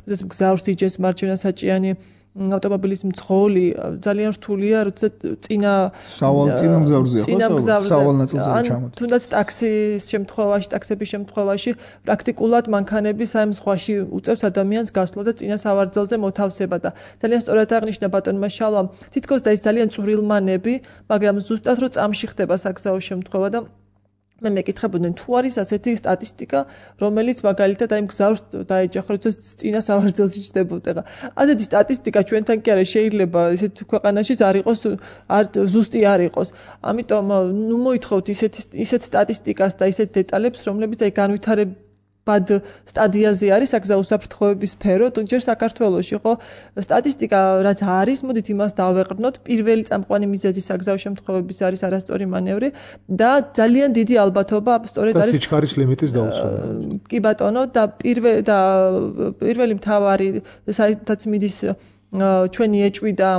როდესაც მგზავრს იჯეს მარჯვენა საჭიანი ავტომობილის მძღოლი ძალიან რთულია, როცა წინა მგზავრზეა ხო? სავალ ნაწილზე ჩამოდი. თუნდაც ტაქსის შემთხვევაში პრაქტიკულად მანქანების აი ზღვაში უწევს ადამიანს გასვლა და წინა სავარძელზე მოთავსება და ძალიან სწორად აღნიშნა ბატონმა შალვამ, თითქოს და ის ძალიან წვრილმანები, მაგრამ ზუსტად რო წამში ხდება საგზაო შემთხვევა და მე მეკითხებოდნენ თუ არის ასეთი სტატისტიკა, რომელიც მაგალითად აი მგზავრს დაეჯახა, როცა წინა სავარძელში ჩდებოდა. ასეთი სტატისტიკა ჩვენთან კი არა, შეიძლება ისეთ ქვეყანაშიც არ იყოს, ზუსტი არ იყოს. ამიტომ ნუ მოითხოვთ ისეთ სტატისტიკას და ისეთ დეტალებს, რომლებიც აი განვითარებად სტადიაზე არის საგზაო უსაფრთხოების სფერო, ჯერ საქართველოში ხო სტატისტიკა რაც არის, მოდით იმას დავეყრდნოთ. პირველი წამყვანი მიზეზი საგზაო შემთხვევების არის არასწორი მანევრი და ძალიან დიდი ალბათობა სწორედ არის სიჩქარის ლიმიტის დაუცველობა. კი ბატონო და პირველი მთავარი საერთოდ მიდის ჩვენი ეჭვი და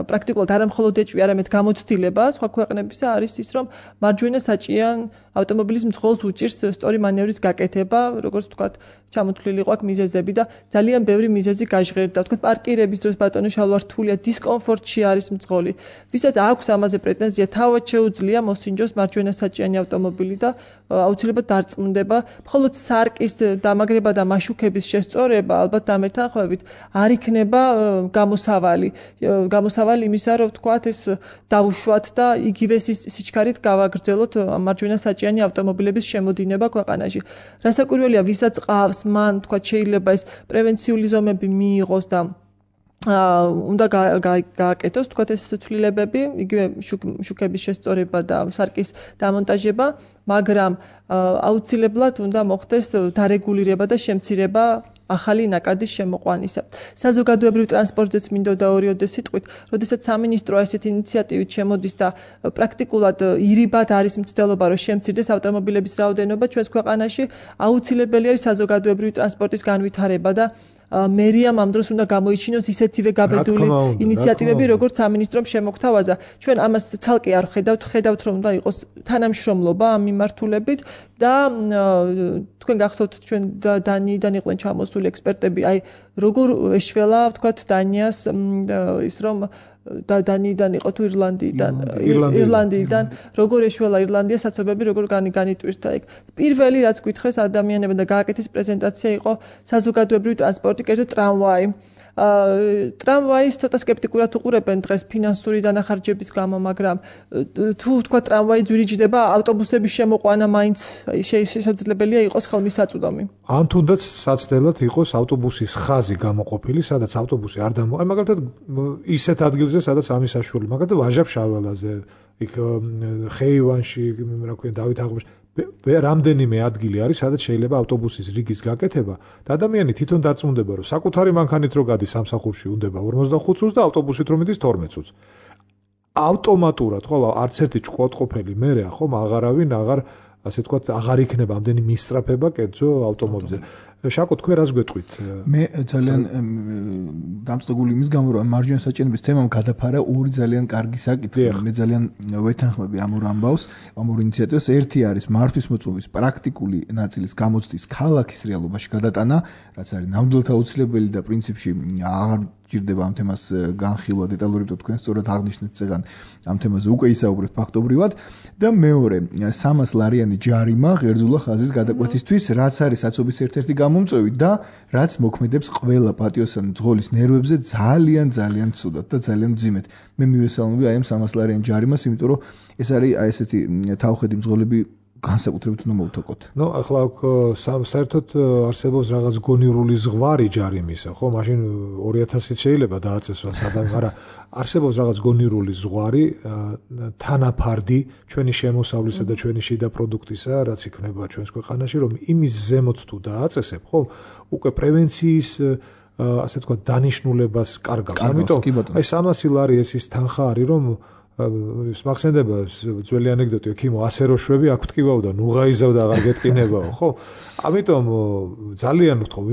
პრაქტიკულად არა მხოლოდ ეჭვი, არამედ გამოცდილება სხვა ქვეყნებისა არის ის, რომ მარჯვენა საჭიან ავტომობილის მძღოლს უჭირს სწორი მანევრის გაკეთება, როგორც ვთქვათ, ჩამოთვლილი ყვა მიზეზები და ძალიან ბევრი მიზეზი გაჟღერდა. ვთქვათ, პარკირების დროს ბატონო შალვა რთულია, დისკომფორტში არის მძღოლი. ვისაც აქვს ამაზე პრეტენზია, თავად შეუძლია მოსინჯოს მარჯვენა საჭიანი ავტომობილი და აუცილებლად დარწმუნდება. მხოლოდ სარკის დამაგრება და მაშუქების შესწორება, ალბათ დამეთანხმებით, არ იქნება გამოსავალი იმისა, რომ ვთქვათ, ეს დავუშვათ და იგივე სიჩქარით გავაგრძელოთ მარჯვენა საჭიანი ავტომობილების შემოდინება ქვეყანაში. რასაკვირველია, ვისაც ყავს, მან თქვა შეიძლება ეს პრევენციული ზომები მიიღოს და უნდა გააკეთოს თქვა ეს ცვლილებები, იგივე შუქების შესწორება და სარკის დამონტაჟება, მაგრამ აუცილებლად უნდა მოხდეს დარეგულირება და შემცირება ახალი ნაკადის შემოყვანისა. საზოგადოებრივ ტრანსპორტზეც მინდოდა ორიოდე სიტყვით, როდესაც სამინისტრო ასეთ ინიციატივით შემოდის და პრაქტიკულად ირიბად არის მცდელობა, რომ შემცირდეს ავტომობილების რაოდენობა ჩვენს ქვეყანაში, აუცილებელი არის საზოგადოებრივი ტრანსპორტის განვითარება და მერიამ ამ დროს უნდა გამოიჩინოს ისეთივე გაბედული ინიციატივები, როგორც სამინისტრომ შემოგთავაზა. ჩვენ ამას ცალკე არ ხედავთ, რომ უნდა იყოს თანამშრომლობა ამ მიმართულებით და თქვენ გახსოვთ ჩვენ დანიიდან იყვნენ ჩამოსული ექსპერტები, აი როგორ ეშველა, ვთქვათ, დანიას ის რომ დანიიდან იყო თუ ირლანდიიდან როგორ ეშველა ირლანდია საცობები როგორ განიტვირთა იქ. პირველი რაც გითხრეს ადამიანებმა და გააკეთეს პრეზენტაცია იყო საზოგადოებრივი ტრანსპორტი, კერძოდ ტრამვაი. ტრამვაის ცოტა სკეპტიკურად უყურებენ დღეს ფინანსური დანახარჯების გამო, მაგრამ თუ თქვა ტრამვაი ძვირიჯდება, ავტობუსების შემოყვანა მაინც შესაძლებელია იყოს ხელმისაწვდომი. ან თუნდაც საცდელად იყოს ავტობუსის ხაზი გამოყოფილი, სადაც ავტობუსი არ დამო. აი მაგალითად ისეთ ადგილზე, სადაც ამის საშუალება, მაგალითად ვაჟა-ფშაველაზე, იქ ხეივანში, რა ქვია, დავით აღმაშ რამდენიმე ადგილი არის, სადაც შეიძლება ავტობუსის რიგის გაკეთება და ადამიანი თვითონ დარწმუნდება, რომ საკუთარი მანქანით რო გადის სამსახურში უნდება 45 წუთს და ავტობუსით რომ მიდის 12 წუთს. ავტომატურად, ხო, არც ერთი ჭკუატყოფელი მერეა, ხო, აღარავინ ასე თქვა, აღარ იქნება ამდენი მისწრაფება კერძო ავტომობილზე. შაკო, თქვენ რას გვეტყვით? მე ძალიან დამწყებული იმის გამო, რომ მარჯვენა საჭიანობის თემამ გადაფარა ორი ძალიან კარგი საკითხი. მე ძალიან ვეთანხმები ამ ორ ამბავს, ამ ორ ინიციატივას. ერთი არის მართვის მოწვევის პრაქტიკული ნაწილის გამოცდის ქალაქის რეალობაში გადატანა, რაც არის ნამდვილად აუცილებელი და პრინციპში აღარ ჭირდება ამ თემას განხილვა დეტალურად თქვენ სწორად აღნიშნეთ წეგან ამ თემაზე უკვე ისაუბრეთ ფაქტობრივად და მეორე 300 ლარიანი ჯარიმა ღერძულა ხაზის გადაკვეთისთვის, რაც არის საცობის ერთ-ერთი გამომწვევი და რაც მოქმედებს ყველა პატიოსანი მძღოლის ნერვებზე ძალიან ცუდად და ძალიან მძიმედ. მე მივესალმები აი ამ 300 ლარიან ჯარიმას, იმიტომ რომ ეს არის აი ესეთი თავხედი მძღოლები განსაკუთრებით უნდა მოვთოკოთ. ახლა საერთოდ არსებობს რაღაც გონივრული ზღვარი ჯარიმისა, ხო? მაშინ 2000-ით შეიძლება დააწესოს ადამიანი, მაგრამ არსებობს რაღაც გონივრული ზღვარი თანაფარდი ჩვენი შემოსავლისა და ჩვენი შიდა პროდუქტისა, რაც იქნება ჩვენს ქვეყანაში, რომ იმის ზემოთ თუ დააწესებ, ხო? უკვე პრევენციის ასე თქვა დანიშნულებას კარგავს. ამიტომ აი 300 ლარი ეს ის თანხა არის, რომ მახსენდება ძველი ანეკდოტი, ექიმო 100 როშვები აქ ვტკივაო და ნუღაიზავ და აღარ გეტკინებაო, ხო? ამიტომ ძალიან ვთხოვ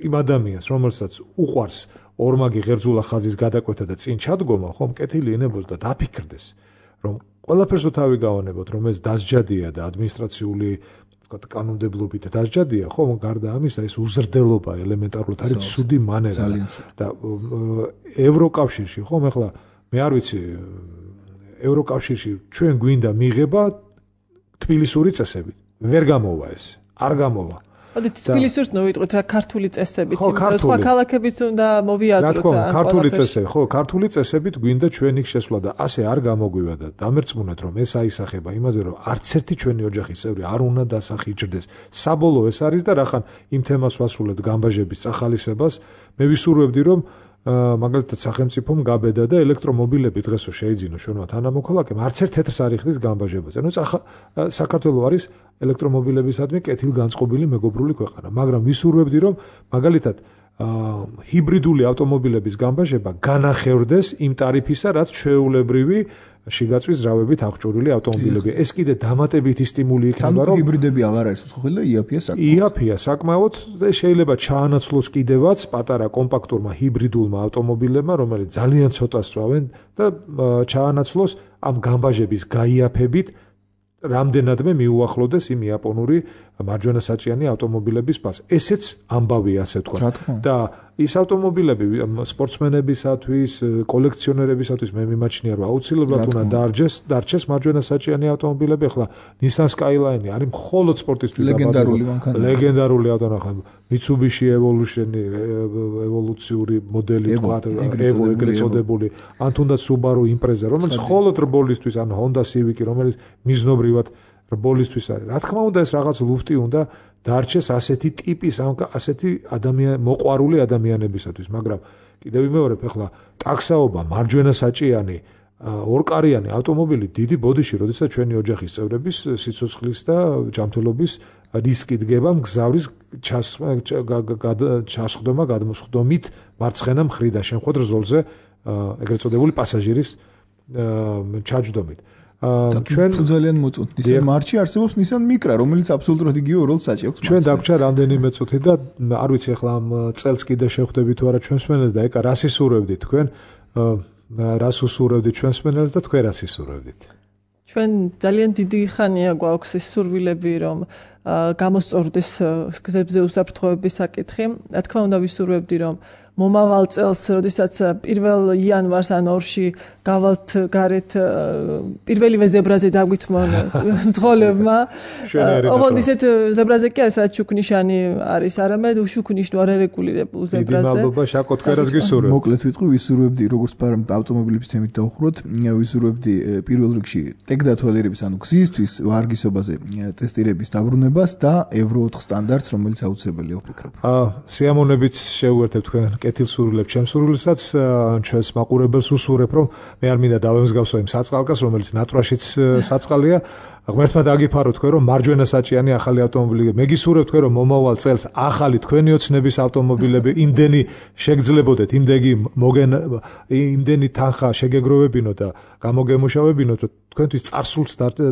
იმ ადამიანს, რომელსაც უყვარს ორმაგი ღერძულა ხაზის გადაკვეთა და წინ ჩადგომა, ხო, მკეთილი ინებოს და დაფიქრდეს, რომ ყველაფერს თავი გავანებოთ, რომ ეს დასჯადია და ადმინისტრაციული ვთქვათ კანონმდებლობით დასჯადია, ხო, გარდა ამისა ეს უზრდელობა ელემენტარულად არის ცუდი მანერა და ევროკავშირში, ხო, ახლა მე არ ვიცი ევროკავშირში ჩვენ გვინდა მიღება თბილისური წესები. ვერ გამოვა ეს. არ გამოვა. მოდით თბილისურს ნოვიტყვით რა ქართული წესებით, იმიტომ სხვა ქალაქებიც უნდა მოვიაზროთ. რა თქმა უნდა, ქართული წესები, ხო, ქართული წესებით გვინდა ჩვენ იქ შესვლა და ასე არ გამოგვივა და დამერწმუნეთ რომ ეს აისახება იმაზე რომ არც ერთი ჩვენი ოჯახის წევრი არ უნდა დასახიჭრდეს. საბოლოო ეს არის და რახან იმ თემას ვასრულებთ გამბაჟების წახალისებას, მე ვისურვებდი რომ მაგალითად სახელმწიფომ გაბედა და ელექტრომობილები დღესო შეიძინო ჩვენმა თანამოქალაქემ არც ერთ თეთრს არ იხდის გამბაჟებაზე. ნუ საქართველოს არის ელექტრომობილებისადმი კეთილგანწყობილი მეგობრული ქვეყანა, მაგრამ ვისურვებდი რომ მაგალითად ჰიბრიდული ავტომობილების გამბაჟება განახევრდეს იმ ტარიფისა, რაც ჩვეულებრივი შიგაწვის ზრავებით აღჭურვილი ავტომობილები. ეს კიდე დამატებითი სტიმული იქნება, რომ ჰიბრიდები აღარ არის უცხოელი და იაფია საკმაოდ და შეიძლება ჩაანაცვლოს კიდევაც პატარა კომპაქტურმა ჰიბრიდულმა ავტომობილებმა, რომელიც ძალიან ცოტა სწვავენ და ჩაანაცვლოს ამ გამბაჟების გაიაფებით რამდენადმე მიუახლოვდეს იმ იაპონური მარჯვენა საჭიანი ავტომობილების პას. ესეც ამბავია, ასე ვთქვა. და ის ავტომობილები სპორტსმენებისათვის, კოლექციონერებისათვის მე მიმაჩნია რომ აუცილებლად უნდა დარჩეს მარჯვენა საჭიანი ავტომობილები. ახლა Nissan Skyline არის მხოლოდ სპორტისთვის ლეგენდარული ავტომობილი. Mitsubishi ევოლუციური მოდელი თქვა, Evo ეგრეთ წოდებული, ან თუნდაც Subaru Impreza, რომელიც მხოლოდ რბოლისთვის, ან Honda Civic, რომელიც მიზნობრივად რბოლისთვის არის. რა თქმა უნდა ეს რაღაც ლუფტი უნდა დარჩეს ასეთი ტიპის, ასეთი მოყვარული ადამიანებისათვის, მაგრამ კიდევ ვიმეორებ, ახლა ტაქსაობა, მარჯვენა საჭიანი, ორკარიანი ავტომობილი დიდი ბოდიში, როდესაც ჩვენი ოჯახის წევრების სიცოცხლის და ჯანმრთელობის რისკი დგება მგზავრის ჩასხდომა გადმოსხდომით მარცხენა მხრიდან შემხვედრ ზოლზე ეგრეთ წოდებული პასაჟირის ჩაჯდომით. ჩვენ ძალიან მოწონთ Nissan March-ი არსებობს Nissan Micra, რომელიც აბსოლუტურად იგივე როლს აჭერს. ჩვენ დაგვრჩა რამდენიმე წუთი და არ ვიცი ახლა ამ წელს კიდე შევხვდებით თუ არა ჩვენს მენელს და ეკა რას ისურვებდით თქვენ? რას უსურვებდით ჩვენს მენელს და თქვენ რას ისურვებდით? ჩვენ ძალიან დიდი ხანია გვაქვს ის სურვილები, რომ გამოსწორდეს გზებზე უსაფრთხოების საკითხი. რა თქმა უნდა ვისურვებდი, რომ მომავალ წელს, როდესაც 1 იანვარს ან 2-ში გავალთ გარეთ პირველივე ზებრაზე დაგვითმონ მძღოლებმა. ოღონდ ისეთ ზებრაზე კი არის, სადაც შუქნიშანი არის, არამედ უშუქნიშნო არარეგულირებულ ზებრაზე. დიდი მადლობა შაკო თქვენას გისურვებთ. მოკლედ ვიტყვი, ვისურვებდი როგორც ავტომობილების თემით დავუხროთ, ვისურვებდი პირველ რიგში ტექდათვალიერების, ანუ გზისთვის ვარგისობაზე ტესტირების დაბრუნებას და Euro 4 სტანდარტს, რომელიც აუცილებელია ვფიქრობ. სიამოვნებით შევუერთებ თქვენ კეთილსურვილებს ჩემსურვილსაც, ჩვენს მაყურებელს უსურვებ, რომ მე არ მინდა დავემსგავსო იმ საწყალკას, რომელიც ნატრაშიც საწყალია. ღმერთმა დაგიფარო თქვენ, რომ მარჯვენა საჭიანი ახალი ავტომობილი. მე გისურვებ თქვენ, რომ მომავალ წელს ახალი თქვენი ოცნების ავტომობილები იმდენი შეგძლებოდეთ, იმდენი თანხა შეგეგროვებინოთ და გამოგემუშავებინოთ, რომ თქვენთვის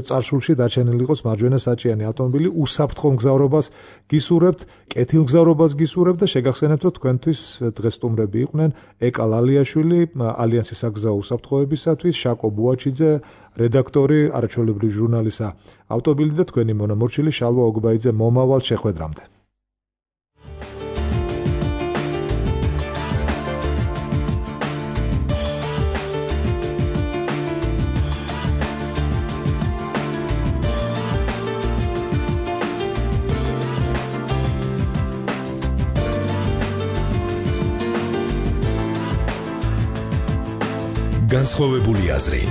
წარსულში დარჩენილი იყოს მარჯვენა საჭიანი ავტომობილი. უსაფრთხო მგზავრობას გისურვებთ, კეთილმგზავრობას გისურვებთ და შეგახსენებთ, რომ თქვენთვის დღესტუმრები იყვნენ ეკა ლალიაშვილი, ალიანსის საგზაო უსაფრთხოებისათვის, შაკო ბუაჩიძე, რედაქტორი, არაჩვეულებრივი ჟურნალისტა ავტობილი და თქვენი მონამორჩილი შალვა ოგბაიძე. მომავალ შეხვედრამდე. განსხვავებული აზრი.